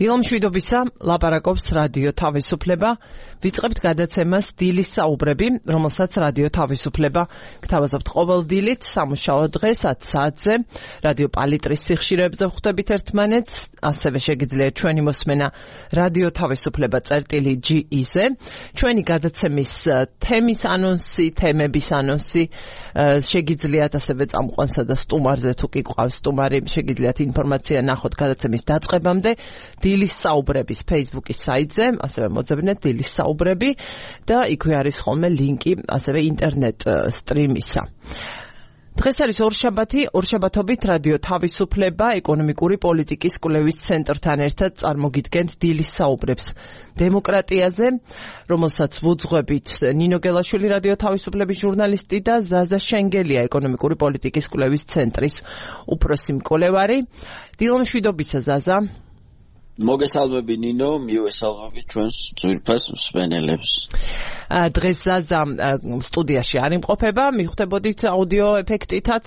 დილომშვიდობისა, ლაპარაკობს რადიო თავისუფლება. ვიწყებთ გადაცემას დილის საუბრები, რომელსაც რადიო თავისუფლება გთავაზობთ ყოველ დილით, სამუშაო დღეს 10 საათზე, რადიო პალიტრის სიხშირეებზე ვხვდებით ერთმანეთს, ასევე შეგიძლიათ ჩვენი მოსმენა რადიო თავისუფლება წერტილი.ge-ზე. ჩვენი გადაცემის თემის ანონსი, თემების ანონსი შეგიძლიათ ასევე წამყვანსა და სტუმარზე თუ კი გვყავს სტუმარი, შეგიძლიათ ინფორმაცია ნახოთ გადაცემის დაწყებამდე. დილის საუბრების Facebook-ის საიტზე, ასევე მოძებნეთ დილის საუბრები და იქვე არის ხოლმე ლინკი ასევე ინტერნეტ სტრიმისა. დღეს არის ორშაბათობით რადიო თავისუფლება ეკონომიკური პოლიტიკის კვლევის ცენტრთან ერთად წარმოგიდგენთ დილის საუბრებს დემოკრატიაზე, რომელსაც ვუძღვებით ნინო გელაშვილი რადიო თავისუფლების ჟურნალისტი და ზაზა შენგელია ეკონომიკური პოლიტიკის კვლევის ცენტრის უფროსი მკვლევარი. დილომშვიდობისა ზაზა. მოგესალმები ნინო, მივესალმები ჩვენს ძვირფას მსმენელებს. დღეს ზაზა სტუდიაში არ იმყოფება, მივხვდებოდით აუდიო ეფექტითაც,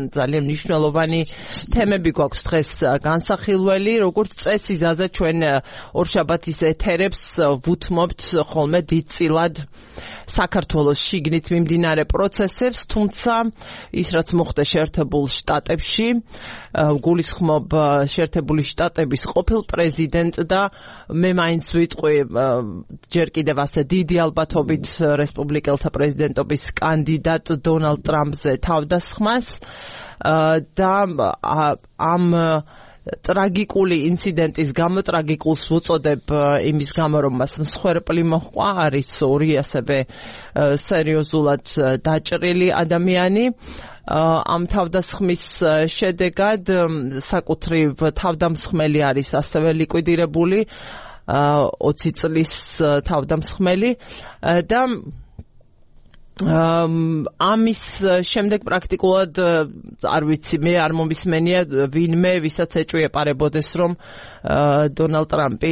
ძალიან მნიშვნელოვანი თემები გვაქვს დღეს განსახილველი, როგორც წესი ზაზა ჩვენ ორშაბათის ეთერებს ვუთმობთ ხოლმე დიდწილად საქართველოს შიგნით მიმდინარე პროცესებს, თუმცა ის რაც მოხდა შეერთებულ შტატებში, გულისხმობ შეერთებული შტატების ყოფილ პრეზიდენტ და მე მაინც ვიტყვი ჯერ კიდევ ასე დიდი ალბათობით რესპუბლიკელთა პრეზიდენტობის კანდიდატ დონალდ ტრამპზე თავდასხმას და ამ ტრაგიკული ინციდენტის გამო, ტრაგიკულს ვუწოდებ იმის გამო, რომ მას მსხვერპლი მოჰყვა, არის ორი ასევე სერიოზულად დაჭრილი ადამიანი. ამ თავდასხმის შედეგად საკუთრივ თავდამსხმელი არის ასევე ლიკვიდირებული, 20 წლის თავდამსხმელი და ამის შემდეგ პრაქტიკულად არ ვიცი, მე არ მომისმენია ვინმე, ვისაც ეჭვი ეპარებოდეს, რომ დონალდ ტრამპი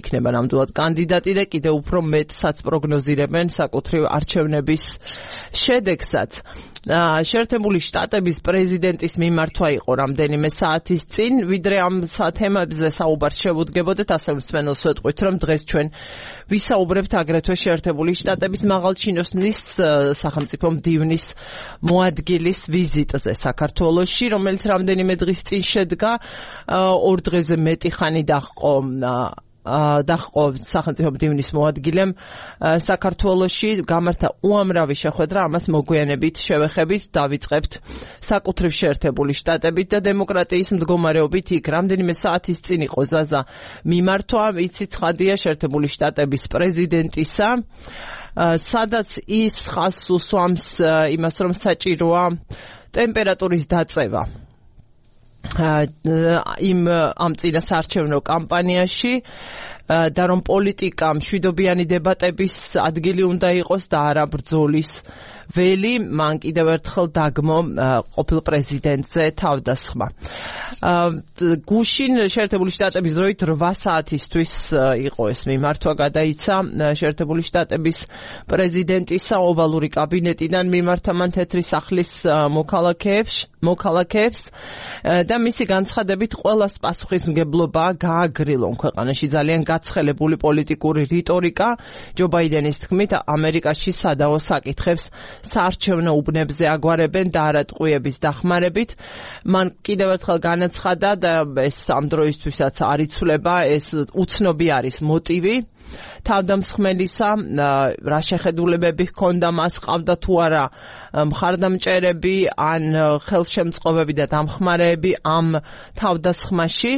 იქნება ნამდვილად კანდიდატი და კიდევ უფრო მეტსაც პროგნოზირებენ საკუთრივ არჩევნების შედეგსაც. შეერთებული შტატების პრეზიდენტის მიმართვა იყო რამდენიმე საათის წინ, ვიდრე ამ თემებზე საუბარს შევუდგებოდეთ, ასე მსმენელს ვეტყვით, რომ დღეს ჩვენ ვისაუბრებთ აგრეთვე შეერთებული შტატების მაღალჩინოსნის სახელმწიფო მდივნის მოადგილის ვიზიტზე საქართველოში, რომელიც რამდენიმე დღის წინ შედგა, 2 დღეზე მეტი ხანი დაჰყო სახელმწიფო მდივნის მოადგილემ საქართველოში, გამართა უამრავი შეხვედრა, ამას მოგვიანებით შევეხებით, დავიწყებთ საკუთრივ შეერთებული შტატებით და დემოკრატიის მდგომარეობით იქ რამდენიმე საათის წინ იყო ზაზა მიმართვა, იცი ცხადია შეერთებული შტატების პრეზიდენტისა, სადაც ის ხაზს უსვამს იმას, რომ საჭიროა ტემპერატურის დაწევა ამ წინასაარჩევნო კამპანიაში და რომ პოლიტიკა მშვიდობიანი დებატების ადგილი უნდა იყოს და არა ბრძოლის ველი, მან კიდევ ერთხელ დაგმო ყოფილ პრეზიდენტზე თავდასხმა. გუშინ შეერთებული შტატების დროით 8 საათისთვის იყო ეს მიმართვა, გადაიცა შეერთებული შტატების პრეზიდენტისა ოვალური კაბინეტიდან მიმართა მან თეთრი სახლის მოქალაქეებს და მისი განცხადებით ყველას პასუხისმგებლობა გააგრილონ ქვეყანაში ძალიან გაცხელებული პოლიტიკური რიტორიკა, ჯო ბაიდენის თქმით, ამერიკაში სადაო საკითხებს საარჩევნო უბნებზე აგვარებენ და არა ტყვიების დახმარებით. მან კიდევ ერთხელ განაცხადა და ეს ამ დროისთვისაც არ იცვლება, ეს უცნობი არის მოტივი თავდამსხმელისა, რა შეხედულებები ჰქონდა მას, ყავდა თუ არა მხარდამჭერები ან ხელშემწყობები და დამხმარეები ამ თავდასხმაში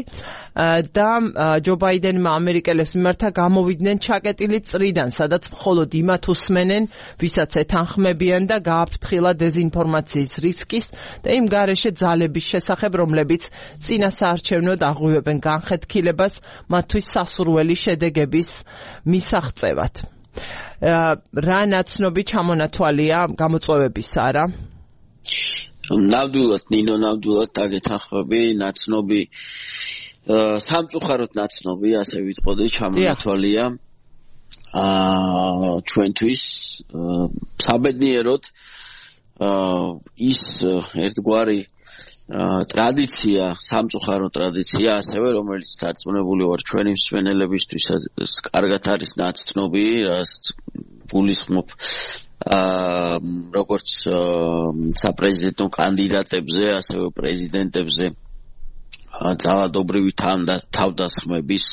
და ჯო ბაიდენმა ამერიკელებს მიმართა გამოვიდნენ ჩაკეტილი წრიდან, სადაც მხოლოდ იმათ უსმენენ, ვისაც ეთანხმებიან და გააფრთხილა დეზინფორმაციის რისკის და იმ გარეშე ძალების შესახებ, რომლებიც წინასაარჩევნოდ აღვივებენ განხეთქილებას მათთვის სასურველი შედეგების მისაღწევად. რა ნაცნობი ჩამონათვალია გამოწვევებისა რა? ნამდვილად ნინო, ნამდვილად დაგეთანხმები, ნაცნობი სამწუხაროდ ნაცნობი, ასე ვიტყოდი, ჩამონათვალია ჩვენთვის საბედნიეროდ ის ერთგვარი ტრადიცია, სამწუხარო ტრადიცია, ასევე რომელიც დარწმუნებული ვარ ჩვენი მსმენელებისთვისაც კარგად არის ნაცნობი, რაც გულისხმობ როგორც საპრეზიდენტო კანდიდატებზე, ასევე პრეზიდენტებზე ძალადობრივი თავდასხმების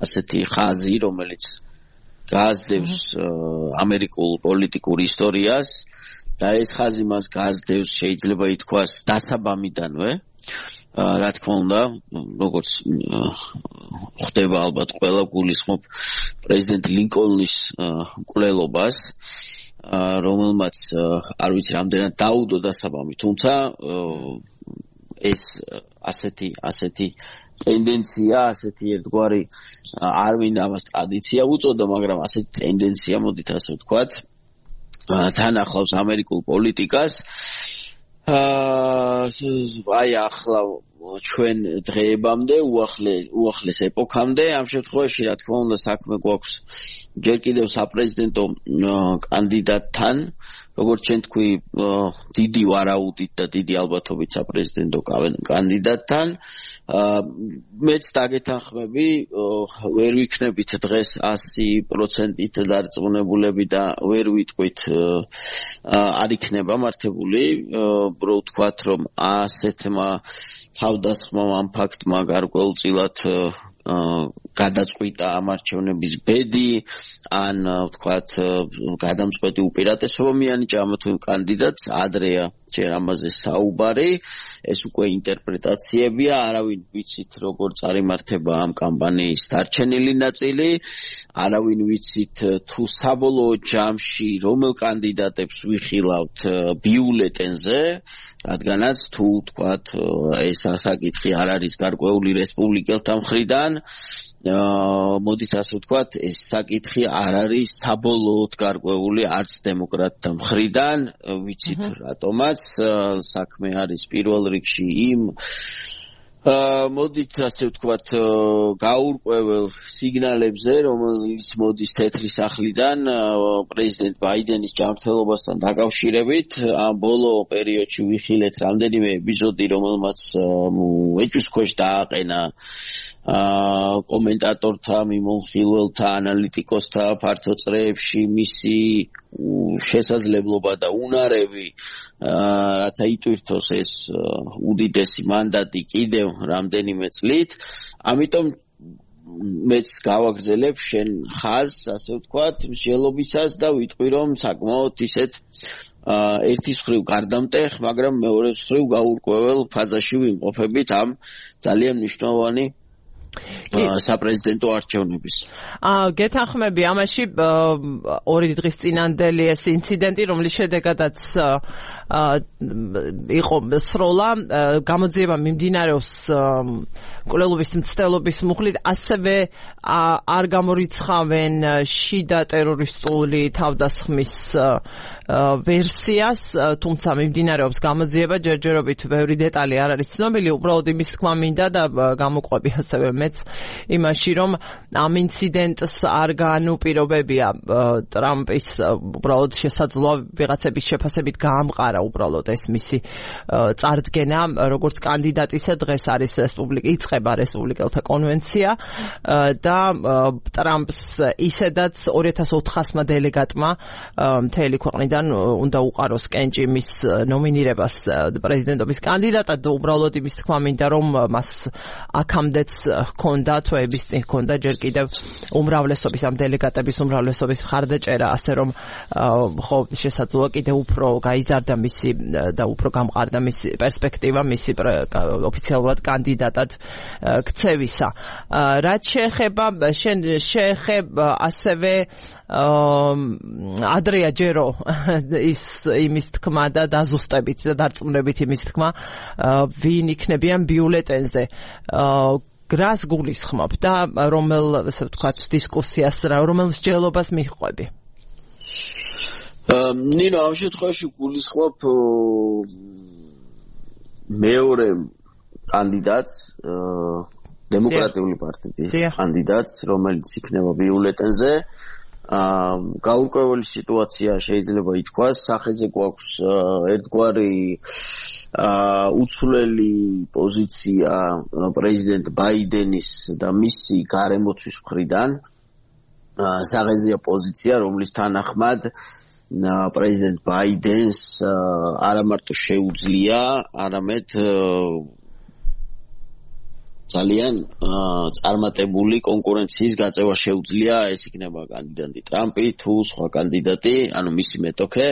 ასეთი ხაზი, რომელიც გაზდევს ამერიკულ პოლიტიკურ ისტორიას და ეს ხაზი მას გაზდევს შეიძლება ითქვას დასაბამიდანვე, რა თქმა უნდა, როგორც ხდება ალბათ ყველა გულისხმობ პრეზიდენტ ლინკოლნის მკვლელობას, რომელმაც არ ვიცი რამდენად დაუდო დასაბამი, თუმცა ეს ასეთი ტენდენცია, ასეთი ერთგვარი არ მინდა ამას ტრადიცია უწოდა, მაგრამ ასეთი ტენდენცია, მოდით ასე ვთქვათ, თან ახლავს ამერიკულ პოლიტიკას. აი ახლა ჩვენ დღეებამდე, უახლეს ეპოქამდე, ამ შემთხვევაში რა თქმა უნდა საქმე გვაქვს ჯერ კიდევ საპრეზიდენტო კანდიდატთან, როგორც ჩვენ თქვი, დიდი ვარაუდით და დიდი ალბათობით საპრეზიდენტო კანდიდატთან. მეც დაგეთანხმები, ვერ ვიქნებით დღეს 100%-ით დარწმუნებულები და ვერ ვიტყვით არ იქნება მართებული, რო ვთქვათ, რომ ასეთმა თავდასხმამ ამ ფაქტმა გარკვეულწილად გადაწყვიტა ამ არჩევნების ბედი, ან ვთქვათ, გადამწყვეტი უპირატესობა მიანიჭა ამ თუ კანდიდატს, ადრეა ჯერ ამაზე საუბარი, ეს უკვე ინტერპრეტაციებია, არავინ ვიცით როგორ წარიმართება ამ კამპანიის დარჩენილი ნაწილი, არავინ ვიცით თუ საბოლოო ჯამში რომელ კანდიდატებს ვიხილავთ ბიულეტენზე, რადგანაც თუ ვთქვათ ეს საკითხი არ არის გარკვეული რესპუბლიკელთა მხრიდან, მოდით ასე ვთქვათ, ეს საკითხი არ არის საბოლოოდ გარკვეული არც დემოკრატთა მხრიდან, ვიცით რატომაც, საქმე არის პირველ რიგში იმ მოდით ასე ვთქვათ გაურკვეველ სიგნალებზე, რომელიც მოდის თეთრი სახლიდან პრეზიდენტ ბაიდენის ჯანმრთელობასთან დაკავშირებით. ამ ბოლო პერიოდში ვიხილეთ რამდენიმე ეპიზოდი, რომელმაც ეჭვის ქვეშ დააყენა კომენტატორთა, მიმოხილველთა, ანალიტიკოსთა ფართო წრეებში მისი შესაძლებლობა და უნარები, რათა იტვირთოს ეს უდიდესი მანდატი კიდევ რამდენიმე წლით. ამიტომ მეც გავაგრძელებ შენ ხაზს, ასე ვთქვათ, მსჯელობისას და ვიტყვი, რომ საკმაოდ ისეთ ერთის მხრივ გარდამტეხ, მაგრამ მეორეს მხრივ გაურკვეველ ფაზაში ვიმყოფებით ამ ძალიან მნიშვნელოვანი საპრეზიდენტო არჩევნების. გეთანხმები ამაში ორი დღის წინანდელი ეს ინციდენტი, რომლის შედეგადაც იყო სროლა, გამოძიება მიმდინარეობს მკვლელობის მცდელობის მუხლით, ასევე არ გამორიცხავენ შიდა ტერორისტული თავდასხმის ვერსიას, თუმცა მიმდინარეობს გამოძიება, ჯერჯერობით ბევრი დეტალი არ არის ცნობილი, უბრალოდ იმის თქმა მინდა და გამოყვები ასევე მეც იმაში, რომ ამ ინციდენტს არ განუპირობებია ტრამპის უბრალოდ შესაძლოა ვიღაცების შეფასებით გაამყარა უბრალოდ ეს მისი წარდგენა, როგორც კანდიდატისა დღეს არის იწყება რესპუბლიკელთა კონვენცია და ტრამპს ისედაც 2400-მა დელეგატმა მთელი ქვეყნიდან უნდა უყაროს კენჭი მის ნომინირებას პრეზიდენტობის კანდიდატად და უბრალოდ იმის თქმა მინდა, რომ მას აქამდეც ჰქონდა, თვეების წინ ჰქონდა ჯერ კიდევ უმრავლესობის, ამ დელეგატების უმრავლესობის მხარდაჭერა, ასე რომ ხო შესაძლოა კიდევ უფრო გაიზარდა მისი და უფრო გამყარდა მისი პერსპექტივა, მისი ოფიციალურად კანდიდატად ქცევისა. რაც შეეხება ასევე ადრეა ჯერო იმის თქმა და დაზუსტებით და დარწმუნებით იმის თქმა, ვინ იქნებიან ბიულეტენზე. რას გულისხმობ და რომელ, ასე ვთქვათ, დისკუსიას, რომელ მსჯელობას მიჰყვები? ნინო, ამ შემთხვევაში გულისხმობ მეორე კანდიდატს, დემოკრატიული პარტიის კანდიდატს, რომელიც იქნება ბიულეტენზე. გაურკვეველი სიტუაცია შეიძლება ითქვას, სახეზე გვაქვს ერთგვარი უცვლელი პოზიცია პრეზიდენტ ბაიდენის და მისი გარემოცვის მხრიდან. სახეზეა პოზიცია, რომლის თანახმად პრეზიდენტ ბაიდენს არა მარტო შეუძლია, არამედ ძალიან წარმატებული კონკურენციის გაწევა შეუძლია, ეს იქნება კანდიდატი ტრამპი თუ სხვა კანდიდატი, ანუ მისი მეტოქე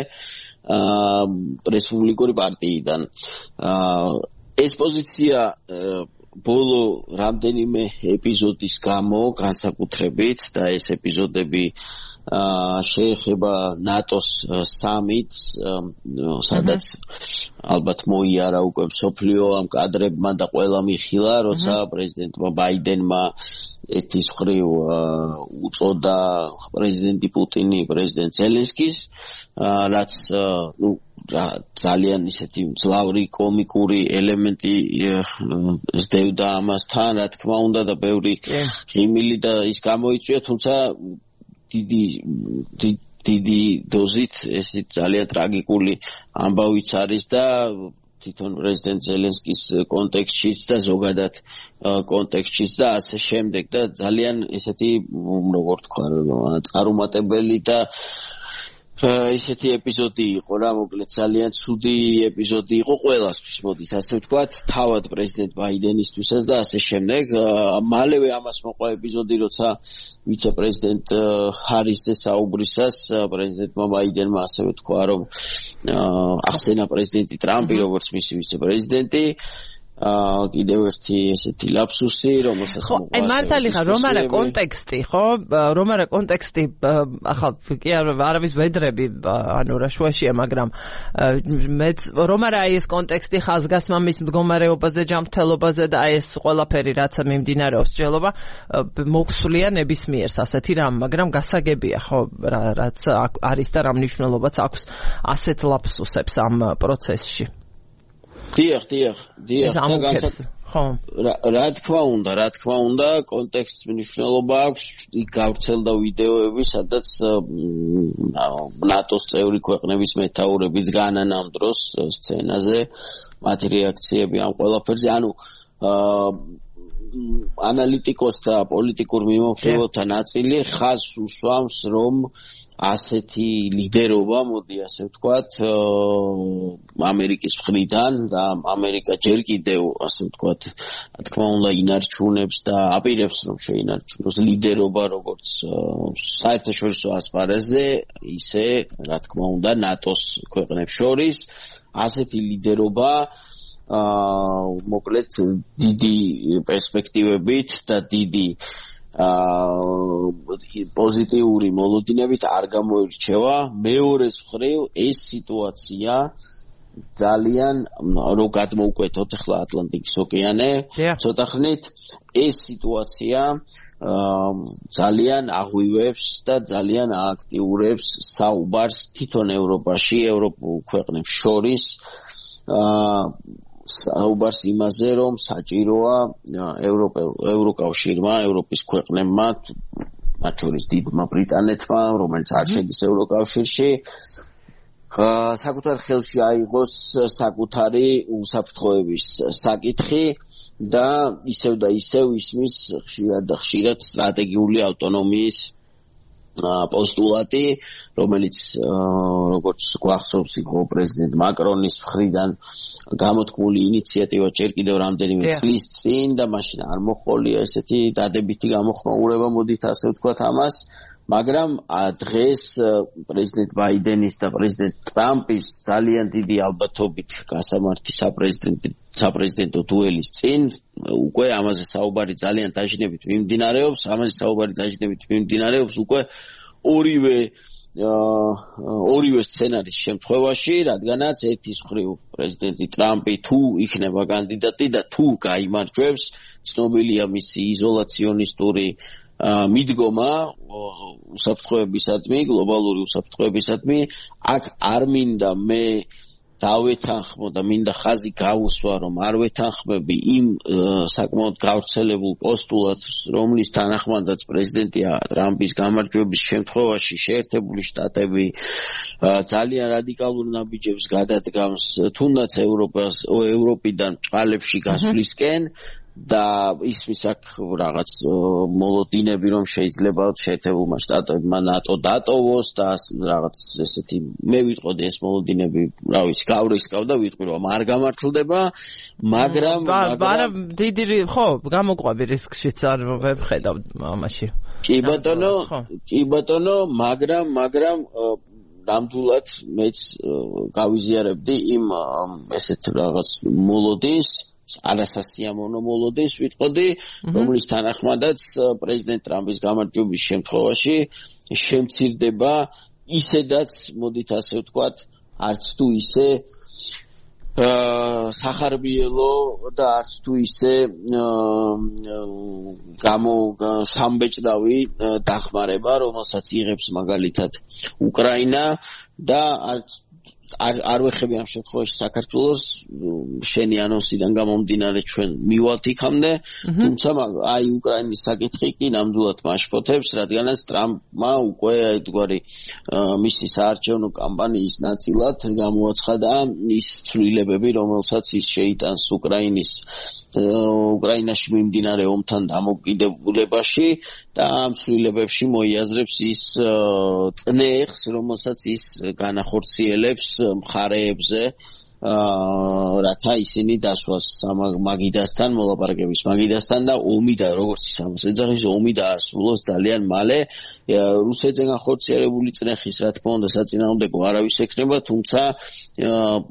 რესპუბლიკური პარტიიდან. ეს პოზიცია ბოლო რამდენიმე ეპიზოდის გამო განსაკუთრებით და ეს ეპიზოდები შეეხება ნატოს სამიტს, სადაც ალბათ მოიარა უკვე მსოფლიო ამ კადრებმა და ყველა მიხილა, როცა პრეზიდენტმა ბაიდენმა ერთის მხრივ უწოდა პრეზიდენტი პუტინი პრეზიდენტ ზელენსკის, რაც ძალიან ისეთი მძლავრი კომიკური ელემენტი ზდევდა ამასთან, რა თქმა უნდა და ბევრი ღიმილი და ის გამოიწვია, თუმცა დიდი დოზით ეს ძალიან ტრაგიკული ამბავიც არის და თვითონ პრეზიდენტ ზელენსკის კონტექსტშიც და ზოგადად კონტექსტშიც და ასე შემდეგ და ძალიან ესეთი როგორ თქვა წარუმატებელი და ისეთი ეპიზოდი იყო რა, მოკლედ ძალიან ცუდი ეპიზოდი იყო ყველასთვის, მოდით ასე ვთქვათ, თავად პრეზიდენტ ბაიდენისთვისაც და ასე შემდეგ. მალევე ამას მოყვა ეპიზოდი, როცა ვიცე-პრეზიდენტ ჰარისზე საუბრისას პრეზიდენტმა ბაიდენმა ასევე თქვა, რომ ახსენა პრეზიდენტი ტრამპი, როგორც მისი ვიცე-პრეზიდენტი. კიდევ ერთი ესეთი ლაფსუსი, რომელსაც მოყვა. მართალი ხარ, რომ არა კონტექსტი, ხო? რომ არა კონტექსტი, ახლა კი არავის ვედრები, ანუ რა შუაშია, მაგრამ მეც რომ არა ეს კონტექსტი ხაზგასმა მის მდგომარეობაზე, ჯანმრთელობაზე და ეს ყველაფერი რაც მიმდინარეობს სჯელობა მოხსულია ნებისმიერს ასეთი რამ, მაგრამ გასაგებია, ხო, რაც არის და რა მნიშვნელობაც აქვს ასეთ ლაფსუსებს ამ პროცესში. დიახ, რა თქმა უნდა, კონტექსტს მნიშვნელობა აქვს. იქ გავრცელდა ვიდეოები, სადაც ნატოს წევრი ქვეყნების მეთაურები დგანან ამ დროს სცენაზე, მათი რეაქციები ამ ყველაფერზე, ანუ ანალიტიკოსთა პოლიტიკურ მიმოხილვათა ნაწილი ხაზს უსვამს, რომ ასეთი ლიდერობა, მოდი ასე ვთქვათ, ამერიკის მხრიდან და ამერიკა ჯერ კიდევ, ასე ვთქვათ, რა თქმა უნდა, ინარჩუნებს და აპირებს, რომ შეინარჩუნოს ლიდერობა როგორც საერთაშორისო ასპარეზზე, ისე, რა თქმა უნდა, ნატოს ქვეყნებს შორის. ასეთი ლიდერობა მოკლედ დიდი პერსპექტივებით და დიდი პოზიტიური მოლოდინებით არ გამოირჩევა. მეორეს მხრივ ეს სიტუაცია ძალიან რო გადმოუკვეთოთ ახლა ატლანტიკის ოკეანე, ცოტა ხნით ეს სიტუაცია ძალიან აღვივებს და ძალიან ააქტიურებს საუბარს თვითონ ევროპაში, ევროპულ ქვეყნებს შორის საუბარს იმაზე, რომ საჭიროა ევროკავშირმა, ევროპის ქვეყნებმა, მათ შორის დიდმა ბრიტანეთმა, რომელიც არ შედის ევროკავშირში, საკუთარ ხელში აიღოს საკუთარი უსაფრთხოების საკითხი და ისევ ისმის ხშირად სტრატეგიული ავტონომიის პოსტულატი, რომელიც როგორც გვახსოვს იყო პრეზიდენტ მაკრონის მხრიდან გამოთქმული ინიციატივა ჯერ კიდევ რამდენიმე წლის წინ და მაშინ არ მოხოლია ესეთი დადებითი გამოხმაურება, მოდით ასე ვთქვათ ამას, მაგრამ დღეს პრეზიდენტ ბაიდენის და პრეზიდენტ ტრამპის ძალიან დიდი ალბათობით გასამართი საპრეზიდენტო დუელის წინ უკვე ამაზე საუბარი ძალიან დაჟინებით მიმდინარეობს, უკვე ორივე სცენარის შემთხვევაში, რადგანაც ერთის მხრივ პრეზიდენტი ტრამპი თუ იქნება კანდიდატი და თუ გაიმარჯვებს, ცნობილია მისი იზოლაციონისტური მიდგომა უსაფრთხოებისადმი, გლობალური უსაფრთხოებისადმი, აქ არ მინდა მე დავეთანხმო და მინდა ხაზი გავუსვა, რომ არ ვეთანხმები იმ საკმაოდ გავრცელებულ პოსტულატს, რომლის თანახმადაც პრეზიდენტი ტრამპის გამარჯვების შემთხვევაში შეერთებული შტატები ძალიან რადიკალურ ნაბიჯებს გადადგამს თუნდაც ევროპიდან წყალებში გასვლისკენ და ისმის აქ რაღაც მოლოდინები, რომ შეიძლება შეერთებულმა შტატებმა ნატო დატოვოს და რაღაც ესეთი მე ვიტყოდი ეს მოლოდინები, რა ვიცი, გავრისკავ და ვიტყვი, რომ არ გამართლდება, მაგრამ დიდი ხო, გამოყვები რისკშიც არ ვხედავ ამაში. კი ბატონო, მაგრამ ნამდვილად მეც გავიზიარებდი იმ ესეთ რაღაც მოლოდინს, არასასიამოვნო მოლოდინს ვიტყოდი, რომლის თანახმადაც პრეზიდენტ ტრამპის გამარჯვების შემთხვევაში შემცირდება ისედაც, მოდით ასე ვთქვათ, არც თუ ისე სახარბიელო და არც თუ ისე სამბეჭდავი დახმარება, რომელსაც იღებს მაგალითად უკრაინა და არ ვეხები ამ შემთხვევაში საქართველოს, შენი ანონსიდან გამომდინარე ჩვენ მივალთ იქამდე, თუმცა აი უკრაინის საკითხი კი ნამდვილად მაშფოთებს, რადგანაც ტრამპმა უკვე ერთგვარი მისი საარჩევნო კამპანიის ნაწილად გამოაცხადა ის ცვლილებები, რომელსაც ის შეიტანს უკრაინაში მიმდინარე ომთან დამოკიდებულებაში და ამ ცვლილებებში მოიაზრებს ის წნეხს, რომელსაც ის განახორციელებს მხარეებზე, რათა ისინი დასვას მაგიდასთან, მოლაპარაკების მაგიდასთან და ომი და როგორც ის ამას ეძახის, ომი დაასრულოს ძალიან მალე. რუსეთზე განხორციელებული წნეხის, რა თქმა უნდა, საწინააღმდეგო არავის ექნება, თუმცა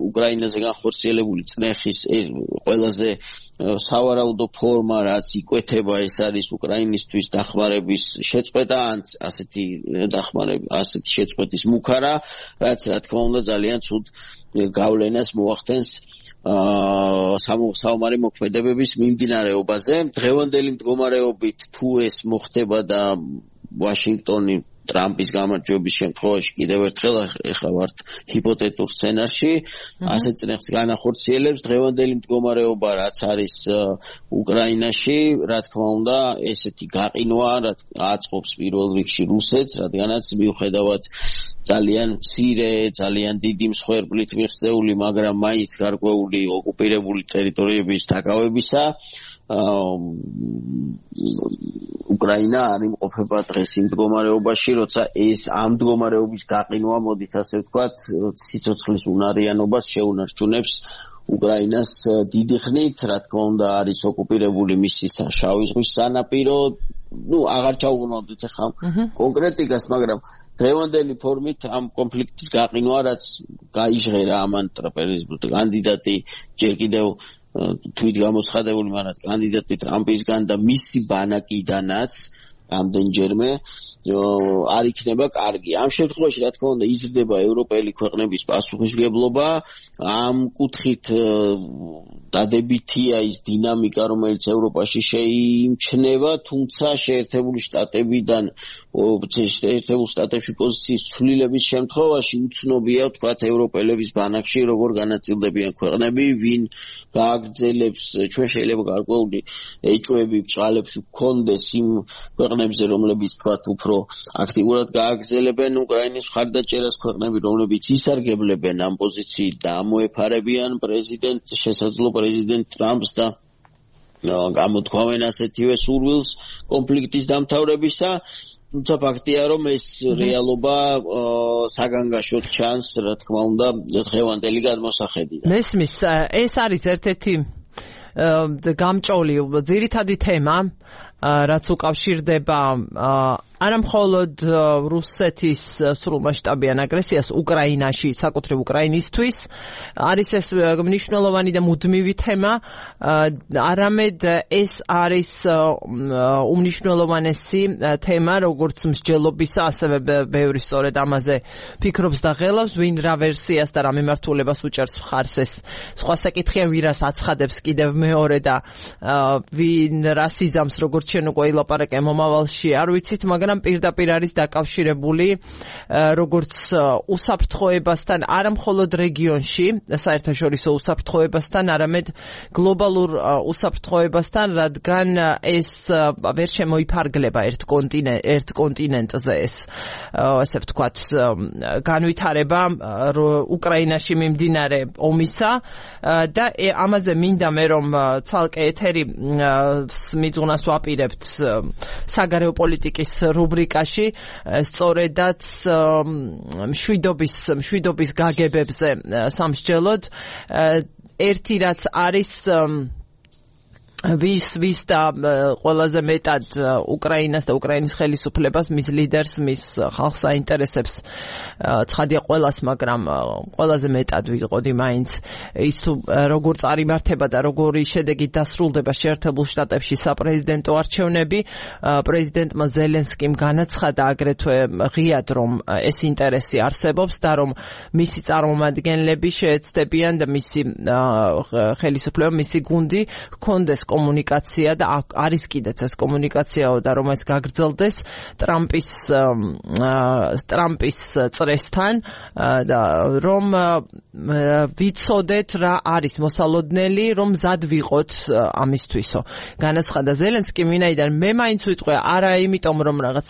უკრაინაზე განხორციელებული წნეხის ყველაზე სავარაუდო ფორმა, რაც იკვეთება, ეს არის უკრაინისთვის დახმარების შეწყვეტა, ან ასეთი შეწყვეტის მუქარა, რაც რა თქმა უნდა ძალიან ცუდ გავლენას მოახდენს საომარი მოქმედებების მიმდინარეობაზე. დღევანდელი მდგომარეობით თუ ეს მოხდება და ვაშინგტონი ტრამპის გამარჯვების შემთხვევაში კიდევ ერთხელ ეხლა ვართ ჰიპოთეტურ სცენარში, ასე წნეხს განახორციელებს. დღევანდელი მდგომარეობა რაც არის უკრაინაში, რა თქმა უნდა, ესეთი გაყინვა აწყობს პირველ რიგში რუსეთს, რადგანაც მიუხედავად ძალიან მცირე, ძალიან დიდი მსხვერპლით მიღწეული, მაგრამ მაინც გარკვეული ოკუპირებული ტერიტორიების დაკავებისა, უკრაინა არ იმყოფება დღეს იმ მდგომარეობაში, როცა ეს ამ მდგომარეობის გაყინვა, მოდით ასე ვთქვათ, სიცოცხლის უნარიანობას შეუნარჩუნებს უკრაინას დიდი ხნით, რა თქმა უნდა, არის ოკუპირებული მისი შავი ზღვის სანაპირო, აღარ ჩავუყრდით ახლა კონკრეტიკას, მაგრამ დღევანდელი ფორმით ამ კონფლიქტის გაყინვა, რაც გაიჟღერა ამან კანდიდატი ჯერ კიდევ თვით გამოცხადებული, მაგრამ კანდიდატი ტრამპისგან და მისი ბანაკიდანაც ამდენჯერმე არ იქნება კარგი. ამ შემთხვევაში, რა თქმა უნდა, იზრდება ევროპელი ქვეყნების პასუხისმგებლობა, ამ კუთხით დადებითია ის დინამიკა, რომელიც ევროპაში შეიმჩნევა, თუმცა შეერთებული შტატებში პოზიციის ცვლილების შემთხვევაში უცნობია, ვთქვათ, ევროპელების ბანაკში როგორ განაწილდებიან ქვეყნები, ვინ გააგრძელებს, ჩვენ შეიძლება გარკვეული ეჭვები ბჭყალებში გქონდეს იმ ქვეყნებზე, რომლებიც თქვათ უფრო აქტიურად გააგრძელებენ უკრაინის მხარდაჭერას, ქვეყნები, რომლებიც ისარგებლებენ ამ პოზიციით და ამოეფარებიან შესაძლო პრეზიდენტ ტრამპს და გამოთქვამენ ასეთივე სურვილს კონფლიქტის დამთავრებისა. თუმცა ფაქტია, რომ ეს რეალობა საგანგაშოდ ჩანს, რა თქმა უნდა, დღევანდელი გადმოსახედიდან. მესმის, ეს არის ერთ-ერთი გამჭოლი ძირითადი თემა, რაც უკავშირდება არა მხოლოდ რუსეთის სრულმასშტაბიან აგრესიას უკრაინაში, საკუთრივ უკრაინისთვის, არის ეს მნიშვნელოვანი და მუდმივი თემა, არამედ ეს არის უმნიშვნელოვანესი თემა, როგორც მსჯელობისა, ასევე ბევრი სწორედ ამაზე ფიქრობს და ღელავს, ვინ რა ვერსიას და რა მიმართულებას უჭერს მხარს. ეს სხვა საკითხია, ვირას აცხადებს კიდევ მეორე და ვინ რა სიზამს, როგორც ჩვენ უკვე ილაპარაკე მომავალში, არ ვიცით, მაგრამ მაგრამ პირდაპირ არის დაკავშირებული როგორც უსაფრთხოებასთან, არა მხოლოდ რეგიონში, საერთაშორისო უსაფრთხოებასთან, არამედ გლობალურ უსაფრთხოებასთან, რადგან ეს ვერ შემოიფარგლება ერთ კონტინენტზე ეს ასე ვთქვათ განვითარება უკრაინაში მიმდინარე ომისა და ამაზე მინდა მე რომ ცალკე ეთერი მიძღვნას ვაპირებთ საგარეო პოლიტიკის რუბრიკაში სწორედაც მშვიდობის გაგებებზე სამსჯელოდ ერთი რაც არის ვის და ყველაზე მეტად უკრაინას და უკრაინის ხელისუფლებას, მის ლიდერს, მის ხალხს აინტერესებს ცხადია ყველას, მაგრამ ყველაზე მეტად ვიყოდი მაინც ის თუ როგორ წარიმართება და როგორი შედეგით დასრულდება შეერთებულ შტატებში საპრეზიდენტო არჩევნები. პრეზიდენტმა ზელენსკიმ განაცხადა აგრეთვე ღიად, რომ ეს ინტერესი არსებობს და რომ მისი წარმომადგენლები შეეცდებიან და მისი ხელისუფლება, მისი გუნდი ჰქონდეს კომუნიკაცია და არის კიდეც ეს კომუნიკაციაო და რომ ეს გაგრძელდეს ტრამპის წრესთან და რომ ვიცოდეთ რა არის მოსალოდნელი, რომ მზად ვიყოთ ამისთვისო. განაცხადა ზელენსკიმ, ვინაიდან მე მაინც ვიტყვე არა იმიტომ რომ რაღაც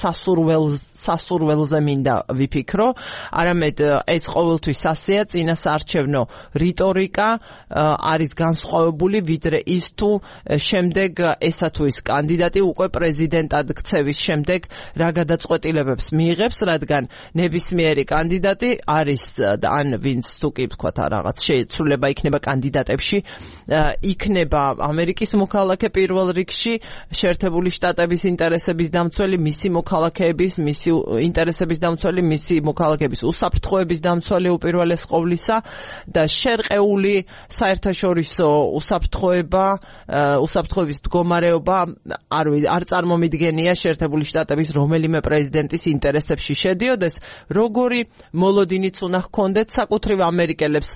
სასურველზე მინდა ვიფიქრო, არამედ ეს ყოველთვის ასეა, წინასაარჩევნო რიტორიკა არის განსხვავებული ვიდრე ის თუ შემდეგ ესა თუ ის კანდიდატი უკვე პრეზიდენტად ქცევის შემდეგ რა გადაწყვეტილებებს მიიღებს, რადგან ნებისმიერი კანდიდატი არის ან ვინც თუ კი ვთქვათ რაღაც შეცვლილება იქნება კანდიდატებში, იქნება ამერიკის მოქალაქე პირველ რიგში, შეერთებული შტატების ინტერესების დამცველი, მისი მოქალაქეების, მისი ინტერესების დამცველი, მისი მოქალაქეების უსაფრთხოების დამცველი უპირველეს ყოვლისა და შერყეული საერთაშორისო უსაფრთხოების მდგომარეობა არ წარმომიდგენია შეერთებული შტატების რომელიმე პრეზიდენტის ინტერესებში შედიოდეს, როგორი მოლოდინიც უნდა ჰქონდეთ საკუთრივ ამერიკელებს,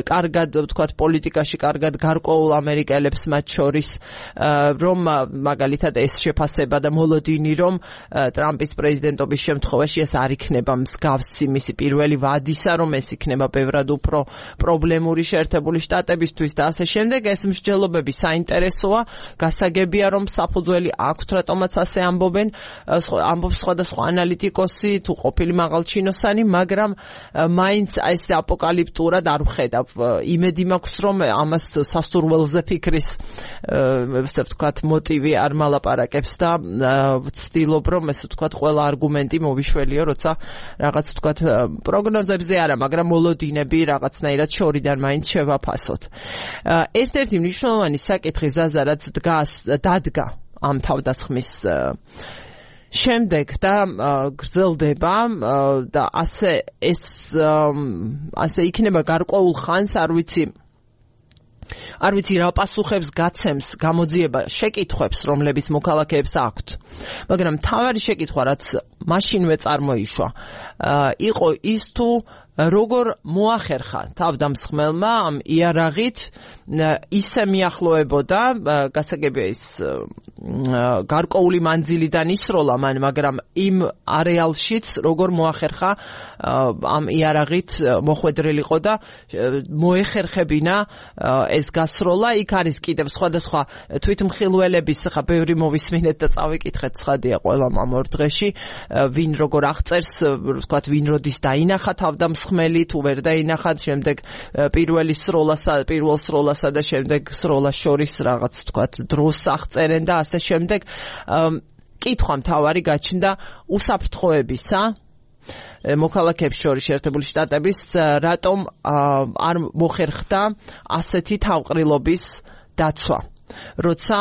კარგად ვთქვათ პოლიტიკაში, კარგად გარკვეულ ამერიკელებს მათ შორის, რომ მაგალითად ეს შეფასება და მოლოდინი, რომ ტრამპის პრეზიდენტობის შემთხვევაში ეს არ იქნება მსგავსი მისი პირველი ვადისა, რომ ეს იქნება ბევრად უფრო პრობლემური შეერთებული შტატებისთვის და ასე შემდეგ, ეს მსჯელობები საინტერესოა, გასაგებია რომ საფუძველი აქვთ, რატომაც ასე ამბობს სხვადასხვა ანალიტიკოსი თუ ყოფილი მაღალჩინოსანი, მაგრამ მაინც ეს აპოკალიფტურად არ ვხედავ. იმედი მაქვს რომ ამას სასურველზე ფიქრის ესე ვთქვათ მოტივი არ მალაპარაკებს და ვცდილობ რომ ესე ვთქვათ ყველა არგუმენტი მოვიშველიო, როცა რაღაც ვთქვათ პროგნოზებზე არა, მაგრამ მოლოდინები რაღაცნაირად შორიდან მაინც შევაფასოთ. ერთ-ერთი მნიშვნელოვანი საკითხი ზაზა რაც დადგა ამ თავდასხმის შემდეგ და გრძელდება და ასე იქნება გარკვეულ ხანს, არ ვიცი რა პასუხებს გაცემს გამოძიება შეკითხვებს, რომლების მოქალაქეებს აქვთ. მაგრამ მთავარი შეკითხვა, რაც მაშინვე წარმოიშვა, იყო ის თუ როგორ მოახერხა თავდამსხმელმა ამ იარაღით ისე მიახლოებოდა, გასაგებია ის გარკვეული მანძილიდან ისროლა მან, მაგრამ იმ არეალშიც როგორ მოახერხა ამ იარაღით მოხვედრილიყო და მოეხერხებინა ეს გასროლა. იქ არის კიდევ სხვადასხვა თვითმხილველების, ხა ბევრი მოვისმინეთ და წავიკითხეთ, ცხადია ყველამ ამ ორ დღეში, ვინ როგორ აღწერს, ვთქვათ, ვინ როდის დაინახა თავდამსხმელი, თუ ვერ დაინახა, შემდეგ პირველ სროლასა და შემდეგ სროლას შორის რაღაც ვთქვათ დროს აღწერენ და ასე შემდეგ. კითხვა მთავარი გაჩნდა უსაფრთხოებისა მოქალაქეებს შორის შეერთებული შტატების, რატომ არ მოხერხდა ასეთი თავყრილობის დაცვა, როცა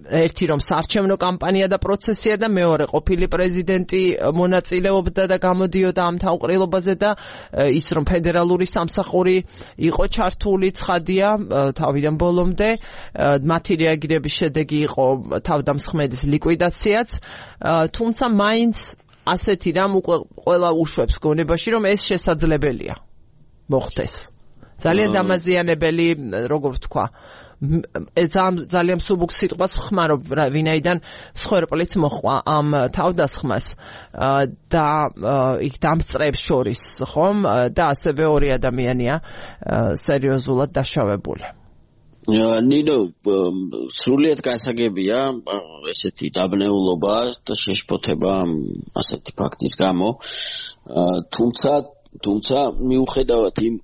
ერთი რომ საარჩევნო კამპანია და პროცესია და მეორე ყოფილი პრეზიდენტი მონაწილეობდა და გამოდიოდა ამ თავყრილობაზე და ის რომ ფედერალური სამსახური იყო ჩართული, ცხადია თავიდან ბოლომდე, მათი რეაგირების შედეგი იყო თავდამსხმელის ლიკვიდაციაც, თუმცა მაინც ასეთი რამ უკვე ყველა უშვებს გონებაში, რომ ეს შესაძლებელია მოხდეს. ძალიან დამაზიანებელი, როგორ ვთქვა, ძალიან მსუბუქ სიტყვას ხმარობ, ვინაიდან მსხვერპლიც მოხვა ამ თავდასხმას და იქ დამსწრეებს შორის, ხომ? და ასევე ორი ადამიანია სერიოზულად დაშავებული. ნინო, სრულიად გასაგებია ესეთი დაბნეულობა და შეშფოთება ასეთი ფაქტის გამო. თუმცა მიუხედავად იმ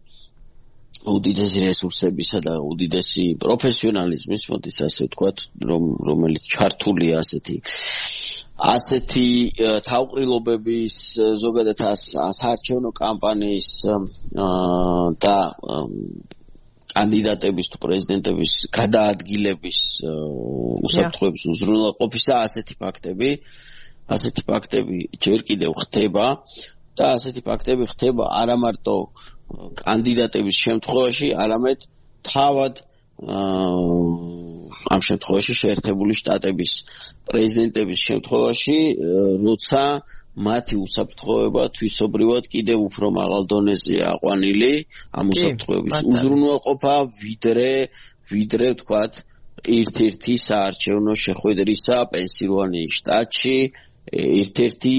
უდიდესი რესურსებისა და უდიდესი პროფესიონალიზმის, მოდი ასე ვთქვათ, რომელიც ჩართულია ასეთი თავყრილობების, ზოგადად საარჩევნო კამპანიის და კანდიდატების თუ პრეზიდენტების გადაადგილების უსაფრთხოების უზრუნველყოფისა ასეთი ფაქტები ჯერ კიდევ ხდება და ასეთი ფაქტები ხდება არა მარტო კანდიდატების შემთხვევაში, არამედ თავად ამ შემთხვევაში შეერთებული შტატების პრეზიდენტების შემთხვევაში, როცა მათი უსაფრთხოება თვისობრივად კიდევ უფრო მაღალ დონეზეა აყვანილი ამ უსაფრთხოების უზრუნველყოფა, ვიდრე ვთქვათ ერთ-ერთი საარჩევნო შეხვედრისა პენსილვანიის შტატში, ერთ-ერთი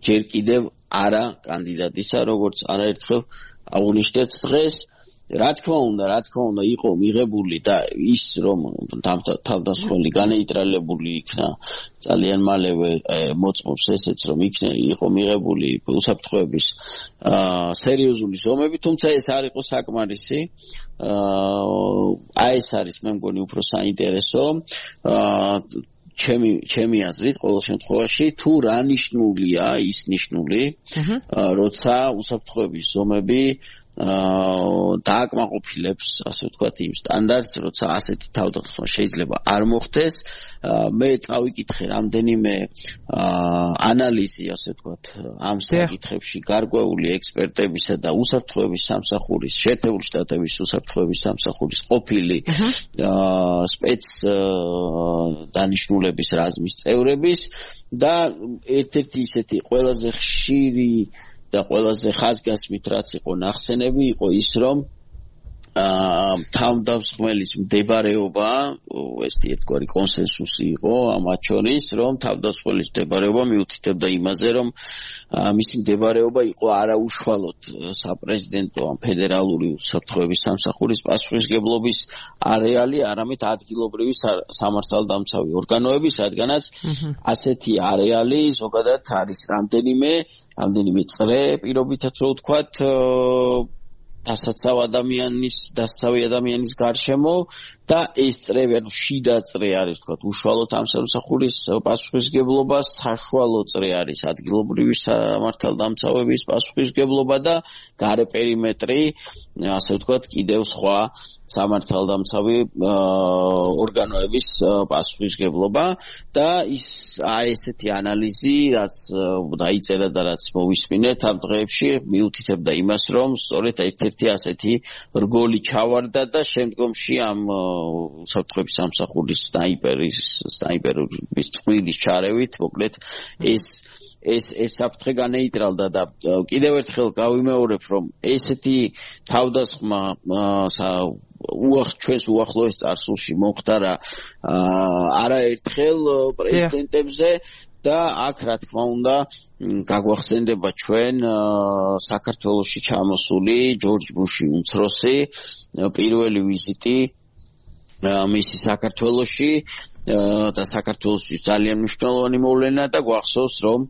ჯერ კიდევ არა კანდიდატისა, როგორც არაერთხელ აღნიშნეთ დღეს. რა თქმა უნდა იყო მიღებული და ის რომ თავდასხმელი განეიტრალებული იქნა ძალიან მალევე მოწმობს ესეც რომ იყო მიღებული უსაფრთხოების სერიოზული ზომები, თუმცა ეს არ იყო საკმარისი. ეს არის მე მგონი უფრო საინტერესო ჩემი აზრით ყოველ შემთხვევაში თუ რა ნიშნულია ის ნიშნული როცა უსაფრთხოების ზომები დააკმაყოფილებს, ასე ვთქვათ, იმ სტანდარტს, როცა ასეთი თავდასხმა შეიძლება არ მოხდეს. მე წავიკითხე რამდენიმე ანალიზი, ასე ვთქვათ, ამ საკითხებში გარკვეული ექსპერტებისა და უსაფრთხოების სამსახურის, შეერთებული შტატების უსაფრთხოების სამსახურის ყოფილი სპეც დანიშნულების რაზმის წევრების და ერთ-ერთი ისეთი ყველაზე ხშირი და ყველაზე ხაზგასმით რაც იყო ნახსენები იყო ის რომ თავდასხმელის მდებარეობა, ეს ერთგვარი კონსენსუსი იყო ამათ შორის, რომ თავდასხმელის მდებარეობა მიუთითებდა იმაზე, რომ მისი მდებარეობა იყო არაუშუალოდ საპრეზიდენტო ან ფედერალური უსაფრთხოების სამსახურის პასუხისმგებლობის არეალი, არამედ ადგილობრივი სამართალდამცავი ორგანოები, სადღანაც ასეთი არეალი ზოგადად არის რამდენიმე წრე, პირობითად რო ვთქვათ, დასაცავი ადამიანის გარშემო და ეს წრე, ანუ შიდა წრე არის, ვთქვათ, უშუალოდ ამ სამსახურის პასუხისმგებლობა, საშუალო წრე არის ადგილობრივი სამართალდამცავების პასუხისმგებლობა და გარე პერიმეტრი, ასე ვთქვათ, კიდევ სხვა სამართალდამცავი ორგანოების პასუხისმგებლობა და ესეთი ანალიზი, რაც დაიწერა და რაც მოვისმინეთ ამ დღეებში, მიუთითებდა იმას, რომ სწორედ ერთ-ერთი ასეთი რგოლი ჩავარდა და შემდგომში ამ უსაფრთხოების სამსახურის სნაიპერების წყვილის ჩარევით, მოკლედ ეს საფრთხე განეიტრალდა და კიდევ ერთხელ გავიმეორებ, რომ ესეთი თავდასხმა ჩვენს უახლოეს წარსულში მომხდარა არაერთხელ პრეზიდენტებზე და აქ რა თქმა უნდა გაგვახსენდება ჩვენ საქართველოში ჩამოსული ჯორჯ ბუში უმცროსი პირველი ვიზიტი მისი საქართველოში და საქართველოსთვის ძალიან მნიშვნელოვანი მოვლენა და გვახსოვს რომ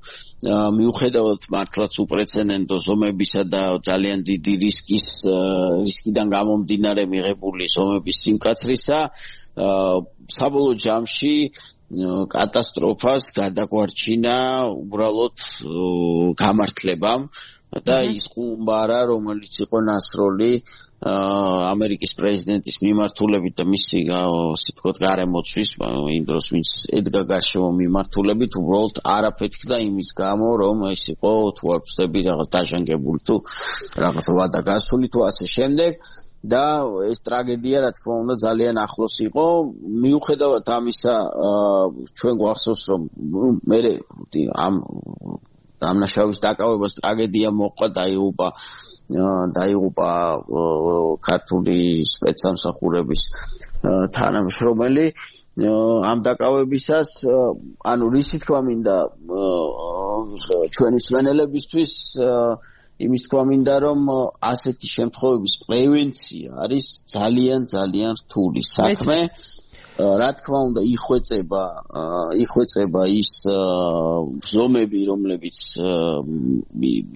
მიუხედავად მართლაც უპრეცედენტო ზომებისა და ძალიან დიდი რისკიდან გამომდინარე მიღებული ზომების სიმკაცრისა საბოლოო ჯამში კატასტროფას გადაგვარჩინა უბრალოდ გამართლებამ და ის ხუმბარა რომელიც იყო ნასროლი ამერიკის პრეზიდენტის მიმართულებით და მისი სიტყვით გარემოცვის იმ დროს ვინც ედგა გარშემო მიმართულებით უბრალოდ არაფეთქდა იმის გამო რომ ეს იყო თუ არ ვწდები რაღაც დაჟანგებული თუ რაღაც ვადა გასული თუ ასე შემდეგ და ეს ტრაგედია რა თქმა უნდა ძალიან ახლოს იყო მიუხედავად ამისა ჩვენ გვახსოვს რომ მე ამ დამნაშავის დაკავებას ტრაგედია მოყვა, დაიღუპა ქართული სპეცსამსახურების თანამშრომელი. ამ დაკავებისას ანუ რისი თქვა მინდა ჩვენი მსმენელებისთვის იმის თქვა მინდა რომ ასეთი შემთხვევების პრევენცია არის ძალიან რთული საქმე. რა თქმა უნდა იხვეწება ის ზომები რომლებიც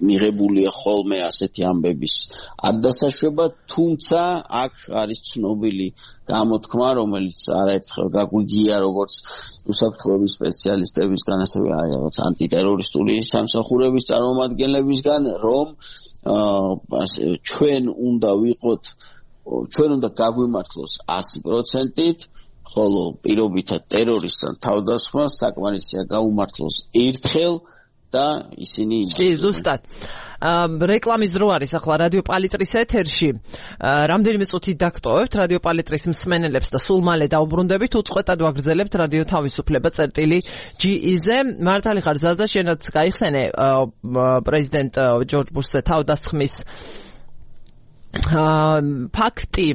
მიღებულია ხოლმე ასეთი ამბების არ დასაშვება, თუმცა აქ არის ცნობილი გამოთქმა, რომელიც არაერთხელ გაგვიგია როგორც უსაფრთხოების სპეციალისტებისგან, ასევე რაღაც ანტიტერორისტული სამსახურების წარმომადგენლებისგან, რომ ჩვენ უნდა გაგვიმართლოს 100%-ით, ხოლო პირობითად ტერორისტთან თავდასხმა საკმარისია გაუმართლოს ერთხელ და ისინი ზუსტად რეკლამის დრო არის ახლა რადიო პალიტრის ეთერში. რამდენიმე წუთი დაგტოვებთ რადიო პალიტრის მსმენელებს და სულ მალე დავბრუნდებით. უწყვეტად ვაგრძელებთ რადიო თავისუფლება წერტილი.ge-ზე. მართალი ხარ ზაზა, შენაც გაიხსენე პრეზიდენტ ჯორჯ ბუშზე თავდასხმის ფაქტი.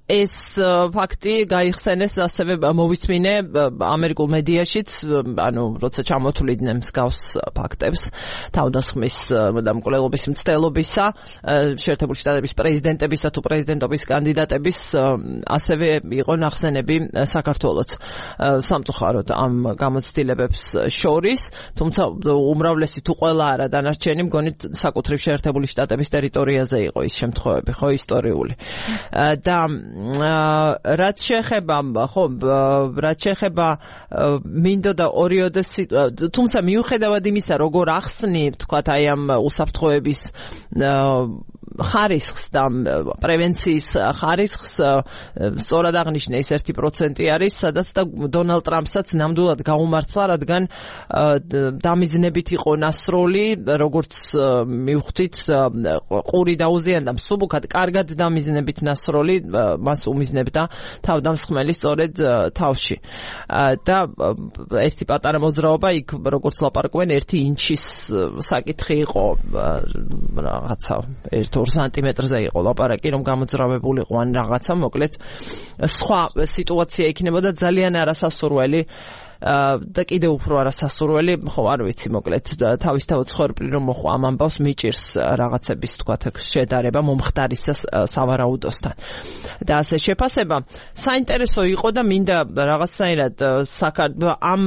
ეს ფაქტი გაიხსენეს ასევე მოვისმინე ამერიკულ მედიაშიც, ანუ როცა ჩამოთვლიდნენ მსგავს ფაქტებს თავდასხმის დამკვლელობის მცდელობისა, შეერთებული შტატების პრეზიდენტებისა თუ პრეზიდენტობის კანდიდატების, ასევე იყო ნახსენები საქართველოც სამწუხაროდ ამ გამოცდილებებს შორის, თუმცა უმრავლესი თუ ყველა არა დანარჩენი მგონით საკუთრივ შეერთებული შტატების ტერიტორიაზე იყო ის შემთხვევები, ხო, ისტორიული. და რაც შეეხება მინდოდა ორიოდე თუმცა მიუხედავად იმისა როგორ ახსნი თქვათ აი ამ უსაფრთხოების ხარისხს და პრევენციის ხარისხს სწორად აღნიშნე ის 1% არის, სადაც და დონალდ ტრამპსაც ნამდვილად გაუმართლა, რადგან დამიზნებით იყო ნასროლი, როგორც მივხვდით, ყური დაუზიანდა მსუბუქად, კარგად დამიზნებით ნასროლი მას უმიზნებდა თავდამსხმელი სწორედ თავში. და ერთი პატარა მოძრაობა იქ როგორც ლაპარაკობენ 1 ინჩის საკითხი იყო, რაღაცა 1-2 სანტიმეტრზე იყო ლაპარაკი, რომ გამოძრავებულიყო ან რაღაცა, მოკლედ სხვა სიტუაცია იქნებოდა ძალიან არასასურველი და კიდევ უფრო არასასურველი, ხო არ ვიცი, მოკლედ თავისთავად ცხოვრებრივ რომ მოხვა ამ ამბავს მიჭირს რაღაცების თქვათ შედარება მომხდარისას სავარაუდოსთან. და ასე შეფასება საინტერესო იყო და მინდა რაღაცნაირად ამ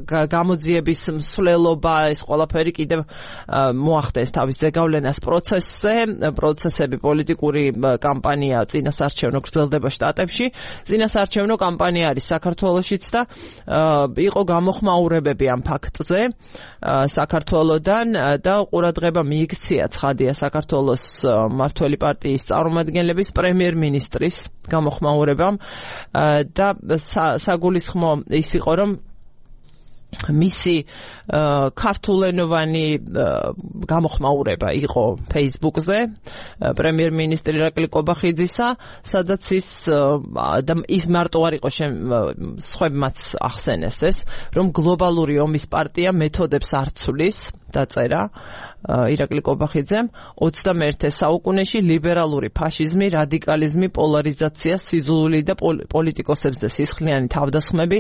გამოძიების მსვლელობა, ეს ყველაფერი კიდევ მოახდეს თავის ზეგავლენას პროცესები, პოლიტიკური კამპანია წინასარჩევნო გრძელდება შტატებში, წინასარჩევნო კამპანია არის საქართველოშიც და იყო გამოხმაურებები ამ ფაქტზე საქართველოდან და ყურადღება მიიქცია ცხადია საქართველოს მმართველი პარტიის წარმომადგენლების პრემიერ-მინისტრის გამოხმაურებამ და საგულისხმო ის იყო რომ მისი ქართულენოვანი გამოხმაურება იყო Facebook-ზე პრემიერ-მინისტრი ირაკლი კობახიძისა, სადაც ის მარტო არ იყო სხვებმაც ახსენეს ეს, რომ გლობალური ომის პარტია მეთოდებს არ ცვლის, დაწერა ირაკლი კობახიძემ 21 საუკუნეში ლიბერალური ფაშიზმი, რადიკალიზმი, პოლარიზაცია, სიძულვილი და პოლიტიკოსებზე სისხლიანი თავდასხმები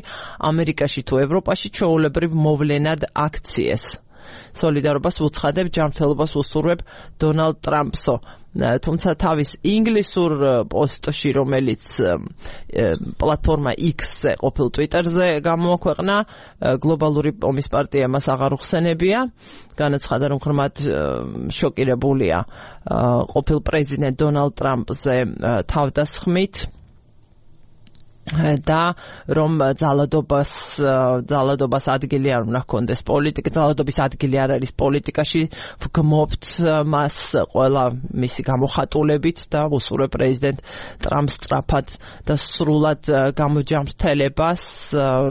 ამერიკაში თუ ევროპაში ჩვეულებრივ მოვლენად აქციეს. სოლიდარობას ვუცხადებ, ჯანმრთელობას ვუსურვებ დონალდ ტრამპსო. თუმცა თავის ინგლისურ პოსტში, რომელიც პლატფორმა X-ზე ყოფილ Twitter-ზე გამოაქვეყნა, გლობალური ომის პარტია მას აღარ უხსენებია, განაცხადა რომ ღრმად შოკირებულია ყოფილ პრეზიდენტ დონალდ ტრამპზე თავდასხმით და რომ ძალადობას ადგილი არ უნდა ჰქონდეს პოლიტიკა, ძალადობის ადგილი არ არის პოლიტიკაში, ვგმობთ მას ყველა მისი გამოხატულებით და ვუსურვებ პრეზიდენტ ტრამპს სწრაფად და სრულად გამოჯამრთელებას,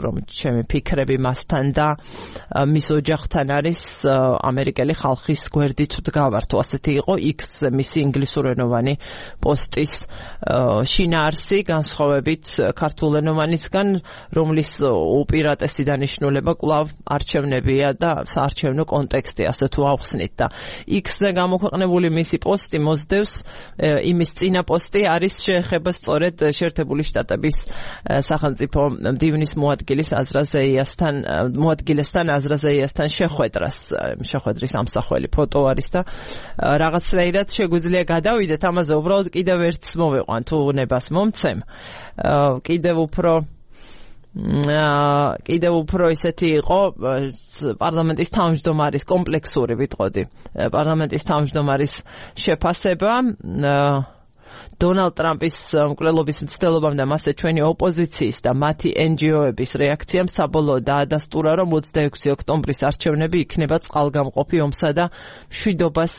რომ ჩემი ფიქრები მასთან და მის ოჯახთან არის ამერიკელი ხალხის გვერდით ვდგავართ. ასეთი იყო X-ზე მისი ინგლისურენოვანი პოსტის შინაარსი, განსხვავებით საქართველენოვანისგან, რომლის უპირატესი დანიშნულება კვლავ არჩევნებია და საარჩევნო კონტექსტი, ასე თუ ავხსნით და X-ზე გამოქვეყნებული მისი პოსტი მოსდევს იმის წინა პოსტი არის შეეხება სწორედ შეერთებული შტატების სახელმწიფო მდივნის მოადგილესთან აზრაზეიასთან შეხვედრის ამსახველი ფოტო არის და რაღაცნაირად შეგვიძლია გადავიდეთ ამაზე უბრალოდ კიდევ ერთს მოვიყვან თუ ნებას მომცემ კიდევ უფრო ისეთი იყო პარლამენტის თავმჯდომარის კომპლექსური ვიტყოდი პარლამენტის თავმჯდომარის შეფასება დონალდ ტრამპის მკვლელობის მცდელობამ და მასზე ჩვენი ოპოზიციის და მათი NGO-ების რეაქციამ საბოლოოდ დაადასტურა, რომ 26 ოქტომბრის არჩევნები იქნება წყალგამყოფი ომსა და მშვიდობას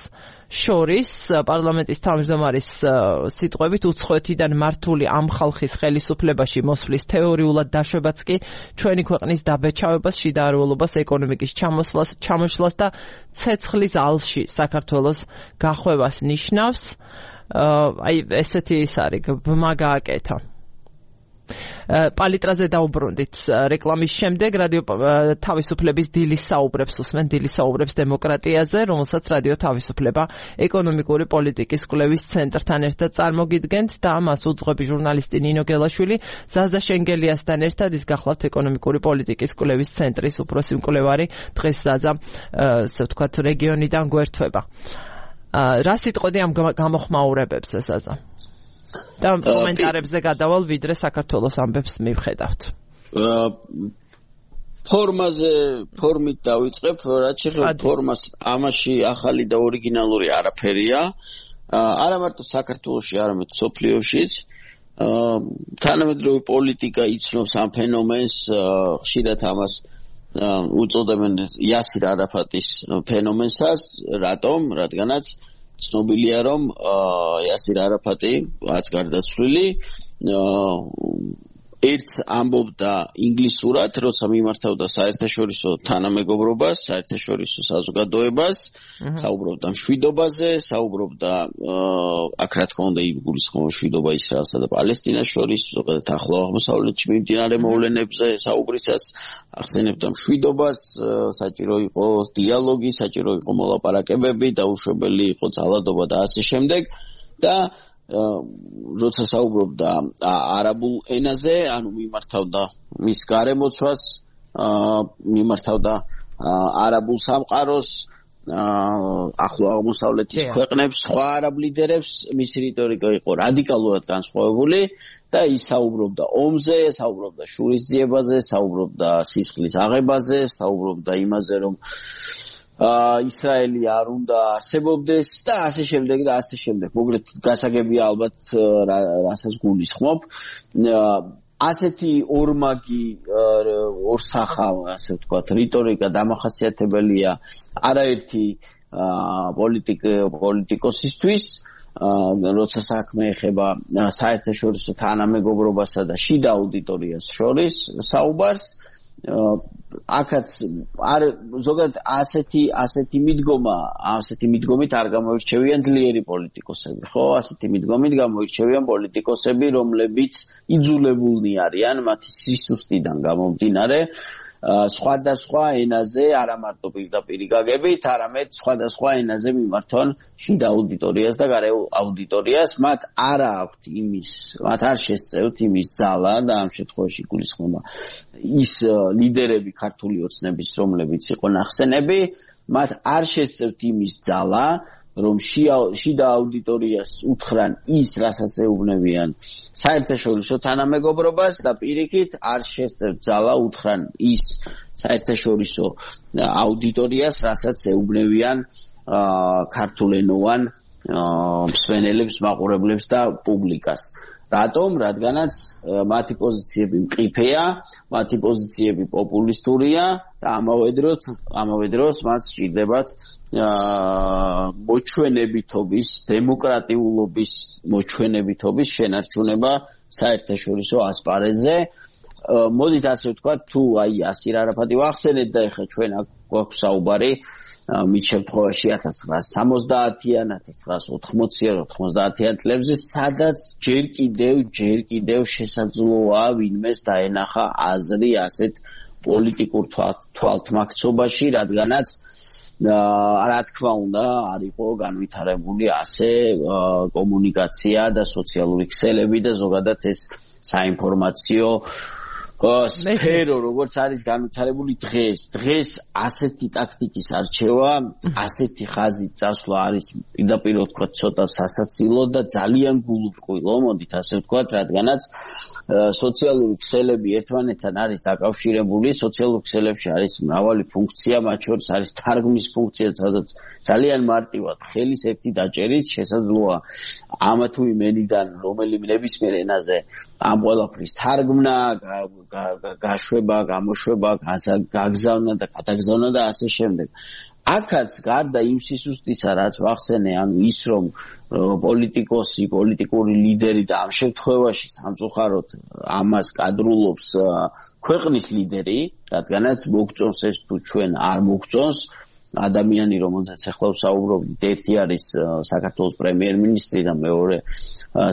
შორის. პარლამენტის თავმჯდომარის სიტყვებით უცხოეთიდან მართული ამ ხალხის ხელისუფლებაში მოსვლის თეორიულად დაშვებაც კი ჩვენი ქვეყნის დაბეჭავებას, შიდა არულობას, ეკონომიკის ჩამოშლას და ცეცხლის ალში საქართველოს გახვევას ნიშნავს. აი ესეთი ის არის ბმა გააკეთა. პალიტრაზე დაუბრუნდით რეკლამის შემდეგ რადიო თავისუფლების დილის საუბრებს უსმენ დილის საუბრებს დემოკრატიაზე, რომელსაც რადიო თავისუფლება ეკონომიკური პოლიტიკის კვლევის ცენტრთან ერთად წარმოგიდგენთ და მას უძღვები ჟურნალისტი ნინო გელაშვილი, ზაზდა შენგელიასთან ერთად ის გახლავთ ეკონომიკური პოლიტიკის კვლევის ცენტრის უფროსი მკვლევარი. დღეს ზაზა ასე ვთქვათ რეგიონიდან გვერდება. რა სიტყოდი ამ გამოხმაურებებზე ზაზა? და კომენტარებზე გადავალ ვიდრე საქართველოს ამბებს მივხედავთ. ფორმით დავიწყებ, რაც შეეხება ფორმას, ამაში ახალი და ორიგინალური არაფერია. არა მარტო საქართველოში, არამედ მსოფლიოშიც. თანამედროვე პოლიტიკა იცნობს ამ ფენომენს, ხშირად ამას უწოდებენ იასირ არაფატის ფენომენსაც. რატომ? რადგანაც ცნობილია, რომ იასირ არაფატი რაც გარდაცვლილი ერთს ამბობდა ინგლისურად, როცა მიმართავდა საერთაშორისო თანამეგობრობას, საერთაშორისო საზოგადოებას, საუბრობდა მშვიდობაზე, საუბრობდა აქ რა თქმა უნდა იგულისხმება მშვიდობა ისრაელსა და პალესტინას შორის, ზოგადად ახლო აღმოსავლეთში მიმდინარე მოვლენებზე საუბრისას ახსენებდა მშვიდობას, საჭირო იყო დიალოგი, საჭირო იყო მოლაპარაკებები, დაუშვებელი იყო ძალადობა და ასე შემდეგ და როცა საუბრობდა არაბულ ენაზე, ანუ მიმართავდა მის გარემოცვას, მიმართავდა არაბულ სამყაროს, ახლო აღმოსავლეთის ქვეყნებს, სხვა არაბ ლიდერებს, მისი რიტორიკა იყო რადიკალურად განსხვავებული და ის საუბრობდა ომზე, საუბრობდა შურისძიებაზე, საუბრობდა სისხლის აღებაზე, საუბრობდა იმაზე, რომ ისრაელი არ უნდა არსებობდეს და ასე შემდეგ და ასე შემდეგ. მოკლედ გასაგებია ალბათ რასაც გულისხმობ. ასეთი ორმაგი ორსახა, ასე ვთქვათ, რიტორიკა დამახასიათებელია არაერთი პოლიტიკოსისთვის, როცა საქმე ეხება საერთაშორისო თანამეგობრობასა და შიდა აუდიტორიას შორის საუბარს. აქაც არ ზოგადად ასეთი მიდგომით არ გამოირჩევიან ძლიერი პოლიტიკოსები, ხო? ასეთი მიდგომით გამოირჩევიან პოლიტიკოსები, რომლებიც იძულებულნი არიან მათი სისუსტიდან გამომდინარე სხვადასხვა ენაზე, არა მარტო პირდაპირ გაგებით, არამედ სხვადასხვა ენაზე მიმართონ შიდა აუდიტორიას და გარე აუდიტორიას. მათ არ შესწევთ იმის ძალა და ამ შემთხვევაში გულისხმობა ის ლიდერები ქართული ოცნების, რომლებიც იყო ნახსენები, მათ არ შესწევთ იმის ძალა, რომ შიდა აუდიტორიას უთხრან ის, რასაც ეუბნებიან საერთაშორისო თანამეგობრობას და პირიქით არ შესწევთ ძალა უთხრან ის საერთაშორისო აუდიტორიას, რასაც ეუბნებიან ქართულენოვან მსმენელებს, მაყურებლებს და პუბლიკას. რატომ? რადგანაც მათი პოზიციები მყიფეა, მათი პოზიციები პოპულისტურია და ამავე დროს მათ სჭირდებათ მოჩვენებითობის, დემოკრატიულობის მოჩვენებითობის შენარჩუნება საერთაშორისო ასპარეზზე. მოდით ასე ვთქვათ, თუ აი ასირ არაფატი ვახსენეთ და ეხლა ჩვენ გვაქვს საუბარი მით შემთხვევაში 1970-იან, 1980-იან, 90-იან წლებზე, სადაც ჯერ კიდევ შესაძლოა ვინმეს დაენახა აზრი ასეთ პოლიტიკურ თვალთმაქცობაში, რადგანაც რა თქმა უნდა არ იყო განვითარებული ასე კომუნიკაცია და სოციალური ქსელები და ზოგადად ეს საინფორმაციო სფერო როგორც არის განვითარებული დღეს ასეთი ტაქტიკის არჩევა, ასეთი ხაზით წასვლა არის პირდაპირ ვთქვათ ცოტა სასაცილო და ძალიან გულუბრყვილო, მოდით ასე ვთქვათ, რადგანაც სოციალური ქსელები ერთმანეთთან არის დაკავშირებული, სოციალურ ქსელებში არის მრავალი ფუნქცია, მათ შორის არის თარგმნის ფუნქცია, სადაც ძალიან მარტივად ხელის ერთი დაჭერით შესაძლოა ამა თუ იმ ენიდან რომელიმე ნებისმიერ ენაზე ამ ყველაფრის თარგმნა, გაშვება, გამოშვება, გაგზავნა და გადაგზავნა და ასე შემდეგ. აქაც გარდა იმ სისუსტისა, რაც ვახსენე, ანუ ის რომ პოლიტიკოსი, პოლიტიკური ლიდერი და ამ შემთხვევაში სამწუხაროდ ამას კადრულობს ქვეყნის ლიდერი, რადგანაც მოგწონს ეს თუ ჩვენ არ მოგწონს, ადამიანი, რომელზეც ახლა ვსაუბრობთ, ერთი არის საქართველოს პრემიერ-მინისტრი და მეორე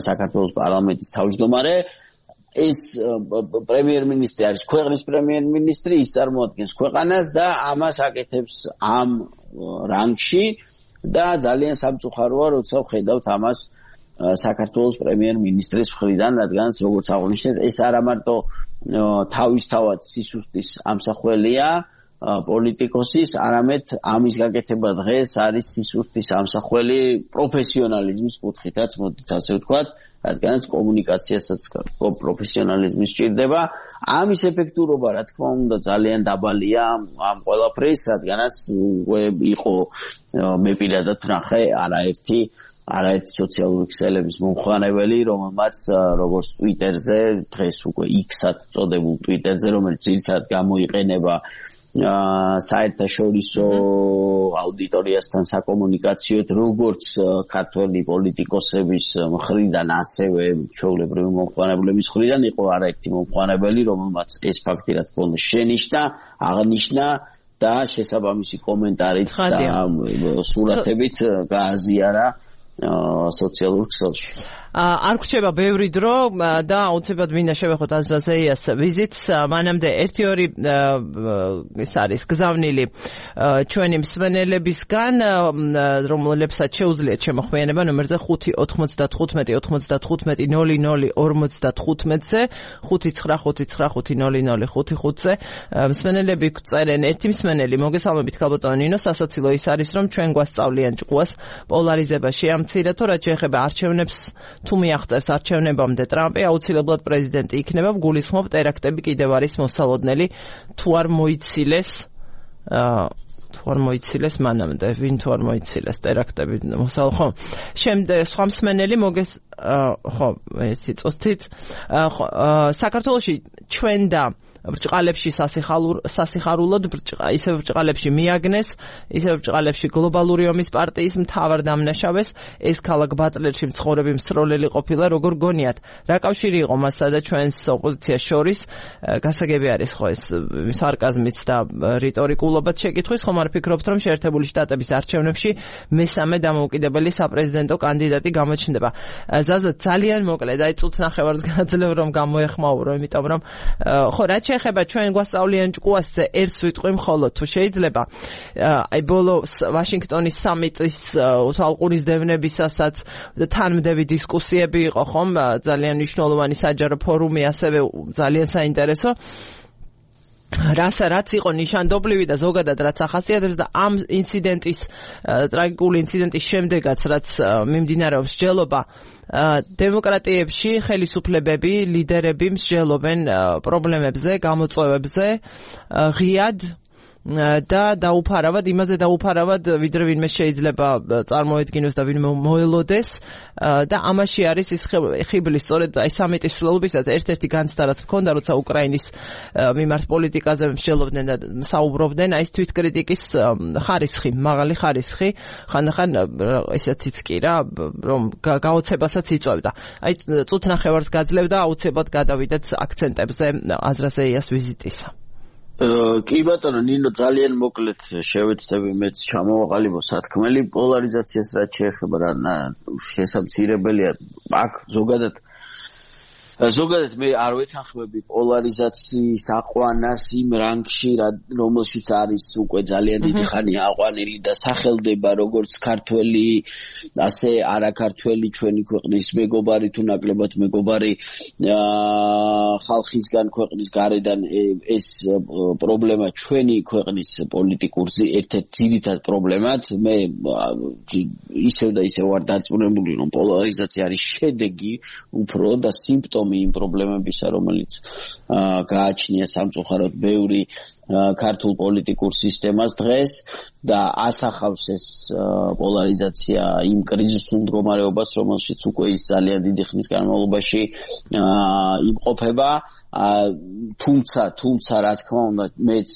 საქართველოს პარლამენტის თავმჯდომარე. ეს პრემიერ-მინისტრი არის ქვეყნის პრემიერ-მინისტრი, ის წარმოადგენს ქვეყანას და ამას აკეთებს ამ რანგში და ძალიან სამწუხაროა, როცა ვხედავთ ამას საქართველოს პრემიერ-მინისტრის მხრიდან, რადგანაც როგორც აღნიშნეთ, ეს არა მარტო თავისთავად სისუსტის ამსახველია პოლიტიკოსის, არამედ ამის გაკეთება დღეს არის სისუსტის ამსახველი პროფესიონალიზმის კუთხითაც, მოდით ასე ვთქვათ, რადგანაც კომუნიკაციასაც პროფესიონალიზმი სჭირდება. ამის ეფექტურობა, რა თქმა უნდა, ძალიან დაბალია ამ ყველაფრის, რადგანაც იყო მე პირადად ვნახე არაერთი სოციალური ქსელების მომხმარებელი, რომელმაც როგორც Twitter-ზე, დღეს უკვე X-ად წოდებულ Twitter-ზე, რომელიც ძირითადად გამოიყენება საერთაშორისო აუდიტორიასთან საკომუნიკაციოდ, როგორც ქართველი პოლიტიკოსების მხრიდან, ასევე ჩვეულებრივი მომხმარებლების მხრიდან იყო არაერთი მომხმარებელი, რომელმაც ეს ფაქტი რა თქმა უნდა შენიშნა, აღნიშნა და შესაბამისი კომენტარით და სურათებით გააზიარა სოციალურ ქსელში. არ გვჭირდება ბევრი დრო და აუცილებლად მინდა შევეხოთ აზრაზეიას ვიზიტს. მანამდე 1-2 ის არის გზავნილი ჩვენი მსმენელებისგან, რომლებსაც შეუძლიათ შემოხვიანება ნომერზე 5-95-95-00-55-00-55-ზე 595-500-505-ზე მსმენელები წერენ. ერთი მსმენელი მოგესალმებით ქალბატონო ნინო, სასაცილო ის არის რომ ჩვენ გვასწავლიან ჭკუას პოლარიზება შეამცირა, თუ რაც შეეხება არჩევნებს თუ მიაღწევს არჩევნებამდე ტრამპი აუცილებლად პრეზიდენტი იქნება, გულისხმობ ტერაქტები კიდევ არის მოსალოდნელი, თუ არ მოიცილეს მანამდე, ვინ თუ არ მოიცილეს ტერაქტები მოსალო, ხო. შემდეგ სხვა მსმენელი ხო, ერთი წუთით, საქართველოში ჩვენ და ბრჭყალებში სასიხარულოდ ისევ ბრჭყალებში მიაგნეს, ისევ ბრჭყალებში გლობალური ომის პარტიის მთავარ დამნაშავეს, ეს ქალაქ ბატლერში მცხოვრები მსროლელი ყოფილა, როგორ გონიათ, რა კავშირი იყო მასსა და ჩვენს ოპოზიციას შორის? გასაგები არის ხო ეს სარკაზმიც და რიტორიკულობაც შეკითხვის, ხომ არ ფიქრობთ, რომ შეერთებული შტატების არჩევნებში მესამე დამოუკიდებელი საპრეზიდენტო კანდიდატი გამოჩნდება? ზაზა ძალიან მოკლედ, აი წუთს ნახევარს გაძლევ რომ გამოეხმაურო, იმიტომ რომ ხო, რაც შეეხება ჩვენ გვასწავლიან ჭკუასზე ერთს ვიტყვი მხოლოდ, თუ შეიძლება აი ბოლო ვაშინგტონის სამიტის თვალყურის დევნებისასაც თანმდევი დისკუსიები იყო, ხომ? ძალიან მნიშვნელოვანი საჯარო ფორუმი, ასევე ძალიან საინტერესო. რაც იყო ნიშანდობლივი და ზოგადად რაც ახასიათებს და ამ ინციდენტის, ტრაგიკული ინციდენტის შემდეგაც, რაც მიმდინარეობს მსჯელობა დემოკრატიებში, ხელისუფლებები, ლიდერები მსჯელობენ პრობლემებზე, გამოწვევებზე, ღიად და დაუფარავად, იმაზე დაუფარავად, ვიდრე ვინმე შეიძლება წარმოედგინოს და ვინმე მოელოდეს და ამაში არის ის ხიბლი, სწორედ აი სამიტის მსვლელობისას ერთ-ერთი განცდა რაც მქონდა, როცა უკრაინის მიმართ პოლიტიკაზე მსჯელობდნენ და საუბრობდნენ, აი ეს თვითკრიტიკის ხარისხი, მაღალი ხარისხი, ხანდახან ესეთიც კი რა, რომ გაოცებასაც იწვევდა. აი წუთ ნახევარს გაძლევდა, აუცილებლად გადავიდეთ აქცენტებზე აზრაზეიას ვიზიტისა. კი ბატონო ნინო, ძალიან მოკლედ შევეცდები მეც ჩამოვაყალიბო სათქმელი პოლარიზაციას რაც შეეხება რა შესამცირებელია აქ ზოგადად მე არ ვეთანხმები პოლარიზაციის აყვანას იმ რანგში, რომელშიც არის უკვე ძალიან დიდი ხანია აყვანილი და სახელდება როგორც ქართველი, ასე არაქართველი ჩვენი ქვეყნის მეგობარი თუ ნაკლებად მეგობარი ხალხისგან ქვეყნის გარედან ეს პრობლემა ჩვენი ქვეყნის პოლიტიკურ ერთ-ერთ ძირითად პრობლემად მე ისევ და ისევ ვარ დარწმუნებული რომ პოლარიზაცია არის შედეგი უფრო და სიმპტომი იმ პრობლემებისა, რომელიც გააჩნია სამწუხაროდ ბევრი ქართულ პოლიტიკურ სისტემას დღეს და ასახავს ეს პოლარიზაცია იმ კრიზისულ მდგომარეობას, რომელშიც უკვე ის ძალიან დიდი ხნის განმავლობაში იმყოფება. თუმცა რა თქმა უნდა მეც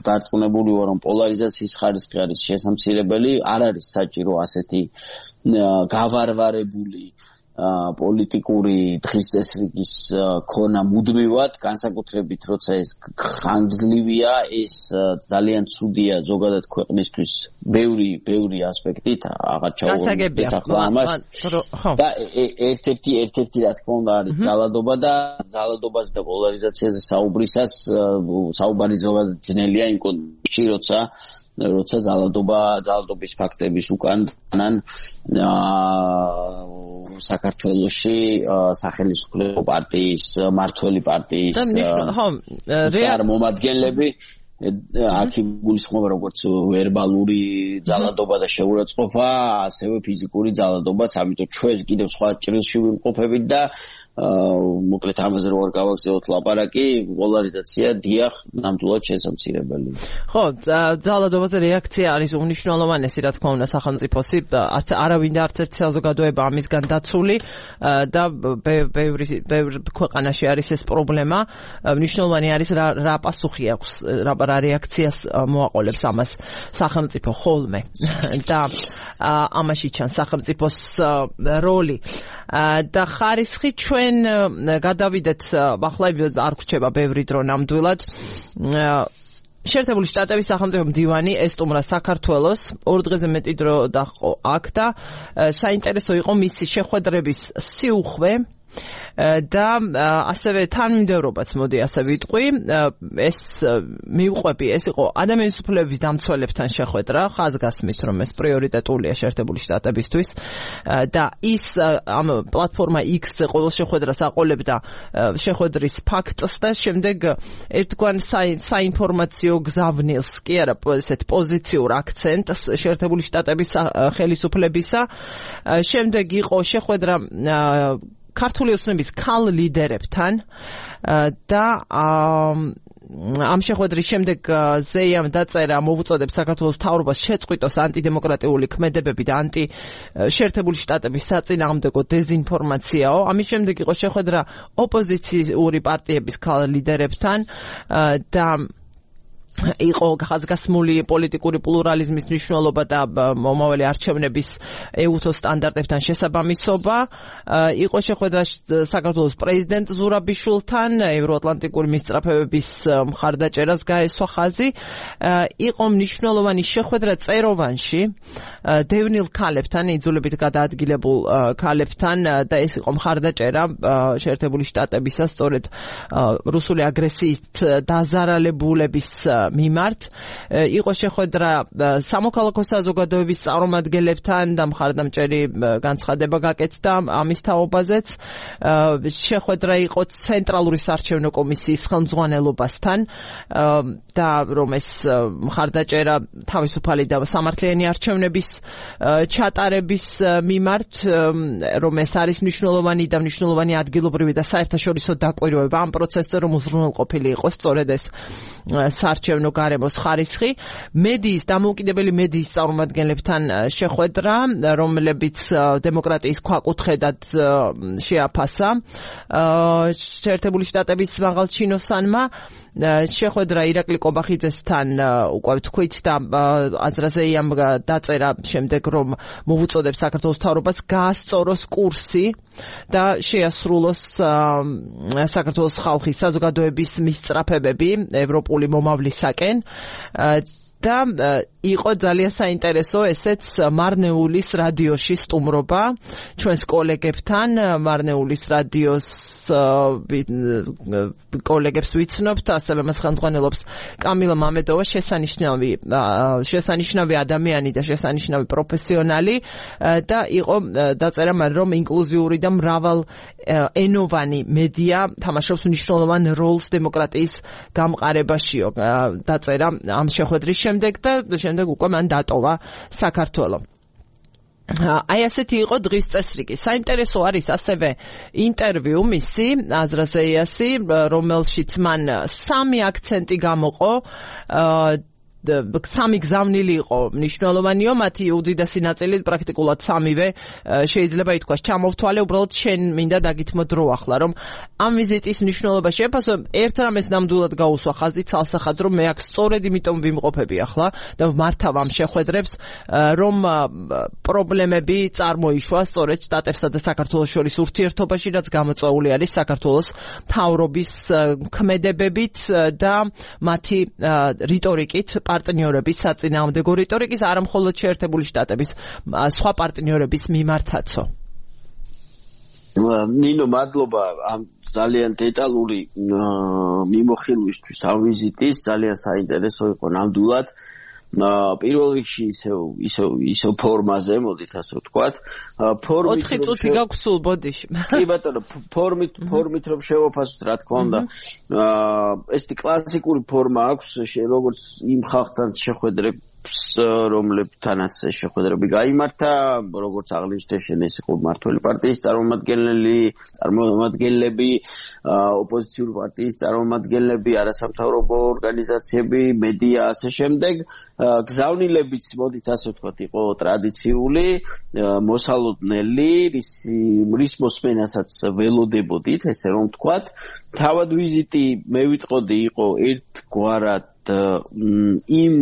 დარწმუნებული ვარ რომ პოლარიზაციის ხარისხი არის შესამცირებელი, არ არის საჭირო ასეთი გავარვარებული პოლიტიკური დღის წესრიგის ქონა მუდმივად, განსაკუთრებით როცა ეს ხანგრძლივია, ეს ძალიან ცუდია ზოგადად ქვეყნისთვის ბევრი ასპექტით, აღარ ჩავუვარდეთ ახლა ამას. და ერთ-ერთი რა თქმა უნდა არის ძალადობაზე და პოლარიზაციაზე საუბარი ზოგადად ძნელია იმ კონტექსტში, როცა ძალადობის ფაქტების უკან თან საქართველოში სახელმწიფო პარტიის, მართველი პარტიის წარმომადგენლები აქ გულისხმობა როგორც ვერბალური ძალადობა და შეურაცხყოფა, ასევე ფიზიკური ძალადობაც, ამიტომ ჩვენ კიდევ სხვა ჭრილში ვიმყოფებით და მოკლედ ამაზე რო არ გავაგზავნოთ ლაპარაკი, პოლარიზაცია დიახ, ნამდვილად შესამცირებელი. ხო, ძალადობაზე რეაქცია არის უმნიშვნელოვანესი, რა თქმა უნდა, სახელმწიფოსი, არავინ და არც ერთი საზოგადოება ამისგან დაცული და ბევრ ქვეყანაში არის ეს პრობლემა. მნიშვნელოვანი არის რა პასუხი აქვს, რა რეაქციას მოაყოლებს ამას სახელმწიფო ხოლმე და ამაში ჩანს სახელმწიფოს როლი. და ხარისხი ჩვენ გადავიდეთ, ახლა არ გვრჩება ბევრი დრო ნამდვილად. შეერთებული შტატების სახელმწიფო მდივანი ესტუმრა საქართველოს 2 დღეზე მეტი დრო დაჰყო აქ და საინტერესო იყო მისი შეხვედრების სიუხვე და ასევე თანმიმდევრობაც მოდი ასე ვიტყვი, ეს მივყვები, ეს იყო ადამიანის უფლებების დამცველებთან შეხვედრა, ხაზგასმით რომ ეს პრიორიტეტულია შეერთებული შტატებისთვის და ის ამ პლატფორმა X-ზე ყოველ შეხვედრას აყოლებდა შეხვედრის ფაქტს და შემდეგ ერთგვარ საინფორმაციო გზავნილს, კი არა, ესეთ პოზიციურ აქცენტს შეერთებული შტატების ხელისუფლებისა. შემდეგ იყო შეხვედრა ქართული ოცნების ქალ ლიდერებთან და ამ შეხვედრის შემდეგ ზეიამ დაწერა მოვუწოდებს საქართველოს მთავრობას შეწყვიტოს ანტიდემოკრატიული ქმედებები და შეერთებული შტატების საწინააღმდეგო დეზინფორმაციაო. ამის შემდეგ იყო შეხვედრა ოპოზიციური პარტიების ქალ ლიდერებთან და იყო ხაზგასმული პოლიტიკური პლურალიზმის მნიშვნელობა და მომავალი არჩევნების ეუთო სტანდარტებთან შესაბამისობა. იყო შეხვედრა საქართველოს პრეზიდენტ ზურაბიშვილთან, ევროატლანტიკური მისწრაფებების მხარდაჭერას გაესვა ხაზი. იყო მნიშვნელოვანი შეხვედრა წეროვანში დევნილ ქალებთან, იძულებით გადაადგილებულ ქალებთან და ეს იყო მხარდაჭერა შეერთებული შტატებისა სწორედ რუსული აგრესიით დაზარალებულების მიმართ. იყო შეხვედრა სამოქალაქო საზოგადოების წარმომადგენლებთან და მხარდამჭერი განცხადება გაკეთდა ამის თაობაზეც. შეხვედრა იყო ცენტრალური საარჩევნო კომისიის ხელმძღვანელობასთან და რომ ეს მხარდაჭერა თავისუფალი და სამართლიანი არჩევნების ჩატარების მიმართ, რომ ეს არის მნიშვნელოვანი ადგილობრივი და საერთაშორისო დაკვირვება ამ პროცესზე, რომ უზრუნველყოფილი იყოს სწორედ ეს საარჩევნო სამართლებრივ გარემოს ხარისხი, მედიის დამოუკიდებელი მედიის წარმომადგენლებთან შეხვედრა, რომლებიც დემოკრატიის ქვაკუთხედად შეაფასა შეერთებული შტატების მაღალჩინოსანმა. შეხვედრა ირაკლი კობახიძესთან უკვე ვთქვით და აზრაზეიამ დაწერა შემდეგ რომ მოვუწოდებს საქართველოს მთავრობას გაასწოროს კურსი და შეასრულოს საქართველოს ხალხის საზოგადოების მისწრაფებები ევროპული მომავლისაკენ და იყო ძალიან საინტერესო ესეც მარნეულის რადიოში სტუმრობა ჩვენს კოლეგებთან მარნეულის რადიოს კოლეგებს ვიცნობთ ასევე მას ხელმძღვანელობს კამილა მამედოვა შესანიშნავი ადამიანი და შესანიშნავი პროფესიონალი და იყო დაწერა რომ ინკლუზიური და მრავალ ენოვანი მედია თამაშობს მნიშვნელოვან როლს დემოკრატიის გამყარებაშიო დაწერა ამ შეხვედრის შემდეგ და შემდეგ უკვე მან დატოვა საქართველო. აი ასეთი იყო დღის წესრიგი. საინტერესო არის ასევე ინტერვიუ მისი აზრაზეიასი, რომელშიც მან 3 აქცენტი გამოყო. 3 გზავნილი იყო მნიშვნელოვანიო, მათი უდიდესი ნაწილი პრაქტიკულად 3-ვე შეიძლება ითქვას ჩამოვთვალე, უბრალოდ შენ მინდა დაგითმო დრო ახლა, რომ ამ ვიზიტის მნიშვნელობა შეფასო, ერთ რამეს ნამდვილად გაუსვა ხაზი ცალსახად, რომ მე აქ სწორედ იმიტომ ვიმყოფები ახლა და მართავ ამ შეხვედრებს, რომ პრობლემები წარმოიშვა სწორედ შტატებსა და საქართველოს შორის ურთიერთობაში, რაც გამოწვეული არის საქართველოს მთავრობის ქმედებებით და მათი რიტორიკით პარტნიორების საწინააღმდეგო რიტორიკის არა მხოლოდ შეერთებული შტატების სხვა პარტნიორების მიმართაცო. ნინო მადლობა ამ ძალიან დეტალური მიმოხილვისთვის ამ ვიზიტის ძალიან საინტერესო იყო ნამდვილად. პირველ რიგში ისევ ფორმაზე მოდით ასე ვთქვათ. 4 წუთი გაქვს სულ ბოდიში. კი ბატონო, ფორმით რომ შევაფასოთ რა თქმა უნდა. ესეთი კლასიკური ფორმა აქვს, როგორც იმ ხალხთან შეხვედრებს, რომლებთანაც შეხვედრები გაიმართა, როგორც აღნიშნე შენ ეს იყო მმართველი პარტიის წარმომადგენლები, ოპოზიციური პარტიის წარმომადგენლები, არასამთავრობო ორგანიზაციები, მედია ასე შემდეგ. გზავნილებიც მოდით ასე ვთქვათ იყო ტრადიციული, მოსალოდნელი, რის მოსმენასაც ველოდებოდით, ესე რომ ვთქვათ. თავად ვიზიტი მე ვიტყოდი იყო ერთგვარად იმ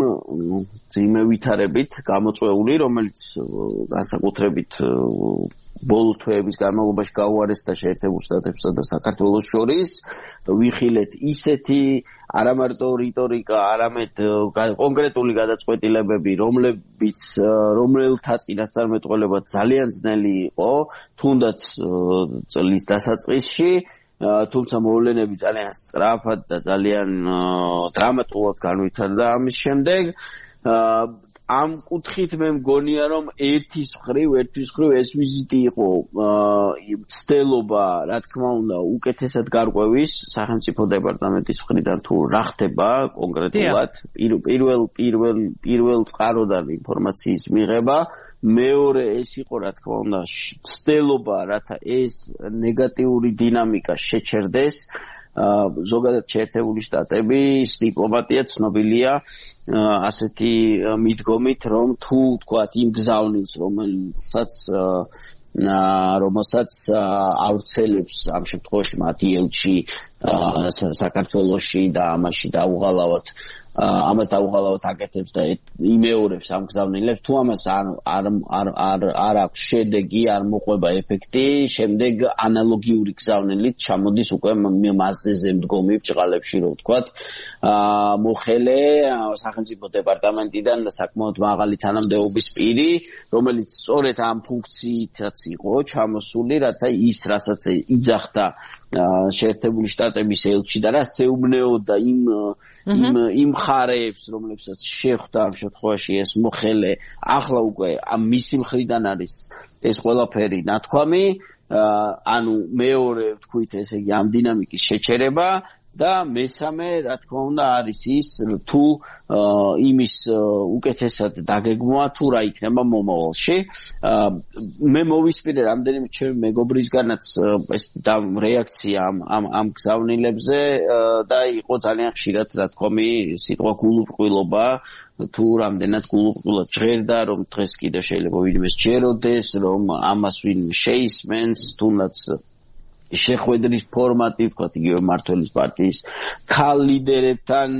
ძიმევითარებით გამოწვეული, რომელიც განსაკუთრებით ბოლო თვეების განმავლობაში გაუარესდა შეერთებულ შტატებსა და საქართველოს შორის. ვიხილეთ ისეთი არა მარტო რიტორიკა, არამედ კონკრეტული გადაწყვეტილებები, რომელთა წინასწარმეტყველება ძალიან ძნელი იყო, თუნდაც წლის დასაწყისში. თუმცა მოვლენები ძალიან სწრაფად და ძალიან დრამატულად განვითარდა ამის შემდეგ. ამ კუთხით მე მგონია რომ ერთის მხრივ ეს ვიზიტი იყო ცდელობა, რა თქმა უნდა, უკეთესად გარკვევის სახელმწიფო დეპარტამენტის მხრიდან თუ რა ხდება კონკრეტულად პირველ წყაროდან ინფორმაციის მიღება. მეორე ეს იყო რა თქმა უნდა ცდელობა, რათა ეს ნეგატიური დინამიკა შეჩერდეს. ზოგადად შეერთებული შტატების დიპლომატია ცნობილია ასეთი მიდგომით, რომ თუ თქვათ იმ გზავნილს, რომელსაც ავრცელებს ამ შემთხვევაში მათი ელჩი საქართველოში და ამას დაუღალავად აკეთებს და იმეორებს ამ გზავნილებს, თუ ამას არ აქვს შედეგი, არ მოყვება ეფექტი, შემდეგ ანალოგიური გზავნილით ჩამოდის უკვე მასზე მდგომი ბრჭყალებში, რომ ვთქვათ, მოხელე სახელმწიფო დეპარტამენტიდან და საკმაოდ მაღალი თანამდებობის პირი, რომელიც სწორედ ამ ფუნქციითაც იყო ჩამოსული, რათა ის რასაც იძახდა შეერთებული შტატების ელჩი და რაც ეუბნეოდა იმ ხარეებს, რომლებსაც შეხვდა ამ შემთხვევაში ეს მოხელე, ახლა უკვე მისი მხრიდან არის ეს ყველაფერი ნათქვამი, ანუ მეორე ვთქვით, ესე იგი ამ დინამიკის შეჩერება და მესამე, რა თქმა უნდა, არის ის თუ იმის უკეთესად დაგეგმვა თუ რა იქნება მომავალში. მე მოვისმინე რამდენიმე ჩემი მეგობრისგანაც ეს რეაქცია ამ გზავნილებზე და იყო ძალიან ხშირად, რა თქმა უნდა, სიტყვა გულუბრყვილობა თუ რამდენად გულუბრყვილად ჟღერდა, რომ დღეს კიდე შეიძლება ვინმე სჯეროდეს, რომ ამას ვინმე შეისმენს, თუნდაც შეხვედრის ფორმატი, ვთქვათ, იგივე მმართველის პარტიის ქალ ლიდერებთან,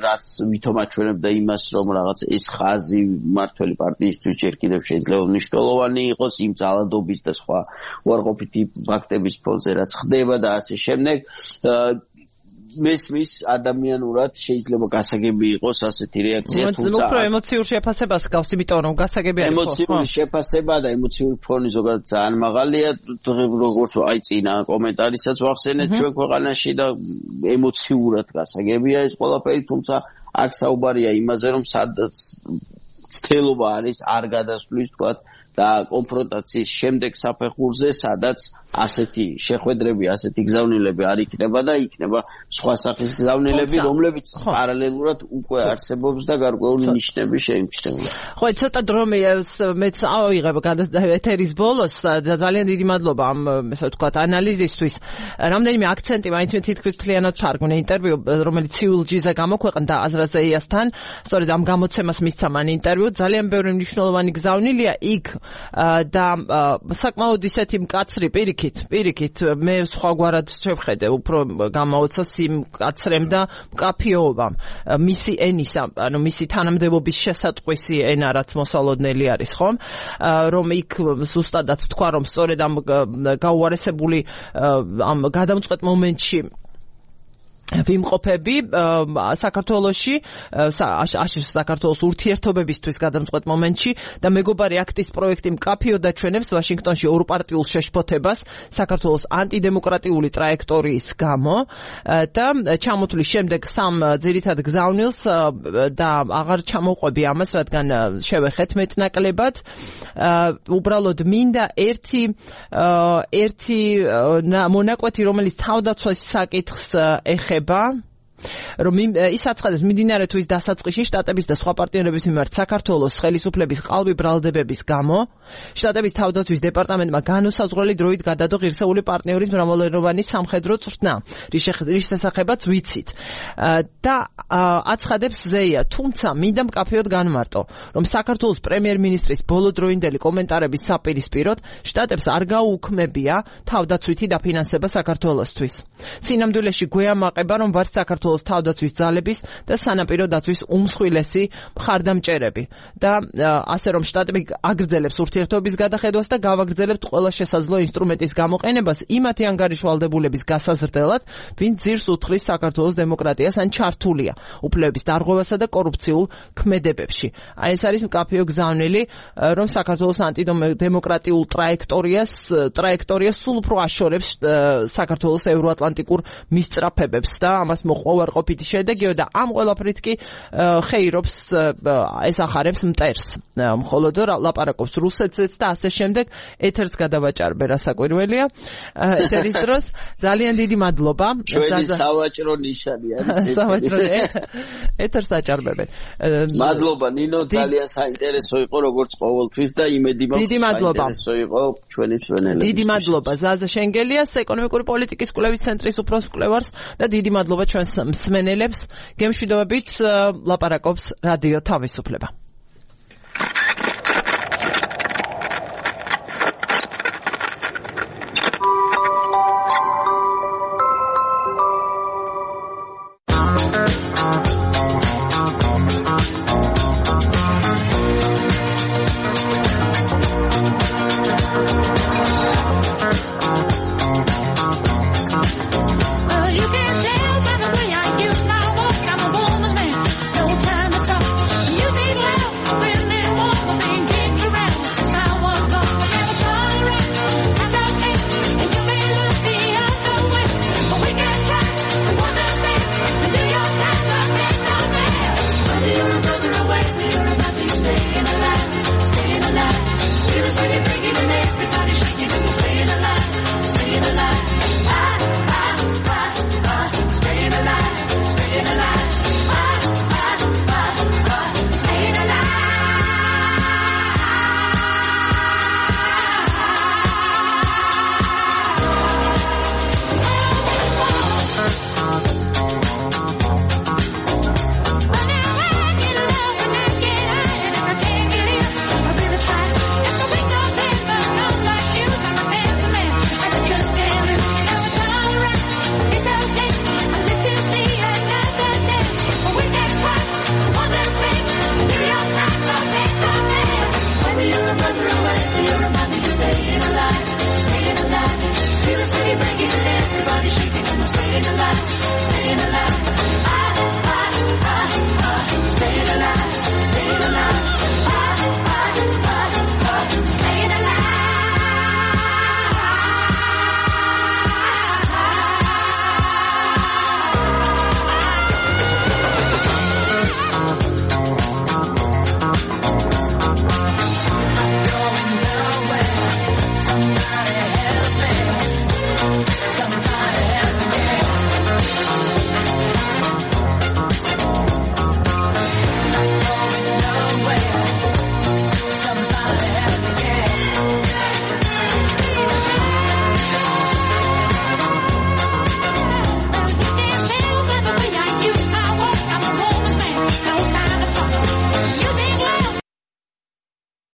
რაც ვითომ აჩვენებდა იმას, რომ რაღაც ეს ხაზი მმართველი პარტიისთვის ჯერ კიდევ შეიძლება მნიშვნელოვანი იყოს იმ ძალადობის და სხვა უარყოფითი ფაქტების ფონზე, რაც ხდება და ასე შემდეგ. მესმის ადამიანურად შეიძლება გასაგები იყოს ასეთი რეაქცია, თუმცა უფრო ემოციურ შეფასებას გავს, იმიტომ რომ გასაგები არის. ემოციური შეფასება და ემოციური ფონი ზოგადად ძალიან მაღალია, როგორც აი წინა კომენტარისაც ვახსენეთ ჩვენ ქვეყანაში და ემოციურად გასაგებია ეს ყველაფერი, თუმცა აქ საუბარია იმაზე, რომ სადაც ცდელობა არის არ გადასვლის, თქვათ, და კონფრონტაციის შემდეგ საფეხურზე, სადაც ასეთი შეხვედრები, ასეთი გზავნილები არ იქნება და იქნება სხვა სახის გზავნილები, რომლებიც პარალელურად უკვე არსებობს და გარკვეული ნიშნები შეიმჩნევა. ხო, ცოტა დრო მეც ავიღებ ეთერის ბოლოს და ძალიან დიდი მადლობა ამ, ესე ვთქვათ, ანალიზისთვის. რამდენიმე აქცენტი მაინც მე თითქმის მთლიანად ჩარგმნე ინტერვიუ, რომელიც CULG-ზე გამოქვეყნდა აზრაზეიასთან, სწორედ ამ გამოცემას მისცა მან ინტერვიუ, ძალიან ბევრი მნიშვნელოვანი გზავნილია იქ და საკმაოდ ისეთი მკაცრი პირიქით მე სხვაგვარად შევხედე, უფრო გამოაოცა სიმკაცრემ და მკაფიობამ მისი ენის, ანუ მისი თანამდებობის შესატყვისი ენა, რაც მოსალოდნელი არის, ხომ? რომ იქ ზუსტადაც თქვა, რომ სწორედ ამ გაუარესებული ამ გადამწყვეტ მომენტში ვიმყოფები საქართველოში, საქართველოს ურთიერთობებისთვის გადამწყვეტ მომენტში და მეგობარი აქტის პროექტი მკაფიოდ აჩვენებს ვაშინგტონში ორპარტიულ შეშფოთებას საქართველოს ანტიდემოკრატიული ტრაექტორიის გამო და ჩამოთვლის შემდეგ სამ ძირითად გზავნილს და აღარ ჩამოყვები ამას, რადგან შევეხეთ მეტნაკლებად. უბრალოდ მინდა ერთი მონაკვეთი, რომელიც თავდაცვის საკითხს ეხება, რომ ის აცხადებს მიმდინარე თვის დასაწყისში შტატების და სხვა პარტნიორების მიმართ საქართველოს ხელისუფლების ყალბი ბრალდებების გამო შტატების თავდაცვის დეპარტამენტმა განუსაზღვრელი დროით გადადო ღირსეული პარტნიორის მრავალეროვანი სამხედრო წვრთნა, რის შესახებაც ვიცით. და აცხადებს ზეია, თუმცა მინდა მკაფიოდ განმარტო, რომ საქართველოს პრემიერ-მინისტრის ბოლოდროინდელი კომენტარების საპირისპიროდ შტატებს არ გაუქმებია თავდაცვითი დაფინანსება საქართველოსთვის. სინამდვილეში გვეამაყება, რომ ვართ საქართველოს თავდაცვის ძალების და სანაპირო დაცვის უმსხვილესი მხარდამჭერები და ასე რომ შტატები აგრძელებს ურთიერთობის გადახედვას და გავაგრძელებთ ყველა შესაძლო ინსტრუმენტის გამოყენებას იმათი ანგარიშვალდებულების გასაზრდელად, ვინც ძირს უთხრის საქართველოს დემოკრატიას ან ჩართულია უფლებების დარღვევასა და კორუფციულ ქმედებებში. აი ეს არის მკაფიო გზავნილი, რომ საქართველოს ანტიდემოკრატიულ ტრაექტორიას სულ უფრო აშორებს საქართველოს ევროატლანტიკურ მისწრაფებებს და ამას მოყვა უარყოფითი შედეგიო და ამ ყველაფრით კი ხეირობს ესახარებს მტერს. მხოლოდ ლაპარაკობს რუსეთზეც და ასე შემდეგ. ეთერს გადავაჭარბე, რასაკვირველია. ეთერის დროს ძალიან დიდი მადლობა. ჩვენი სავაჭრო ნიშანი არის. სავაჭრო ეთერს აჭარბებენ. მადლობა ნინო, ძალიან საინტერესო იყო როგორც ყოველთვის და იმედი მაქვს საინტერესო იყო ჩვენი მსმენელებს. დიდი მადლობა ზაზა შენგელიას, ეკონომიკური პოლიტიკის კვლევის ცენტრის უფროს კვლევარს და დიდი მადლობა ჩვენს მსმენელებს. გემშვიდობებით, ლაპარაკობს რადიო თავისუფლება.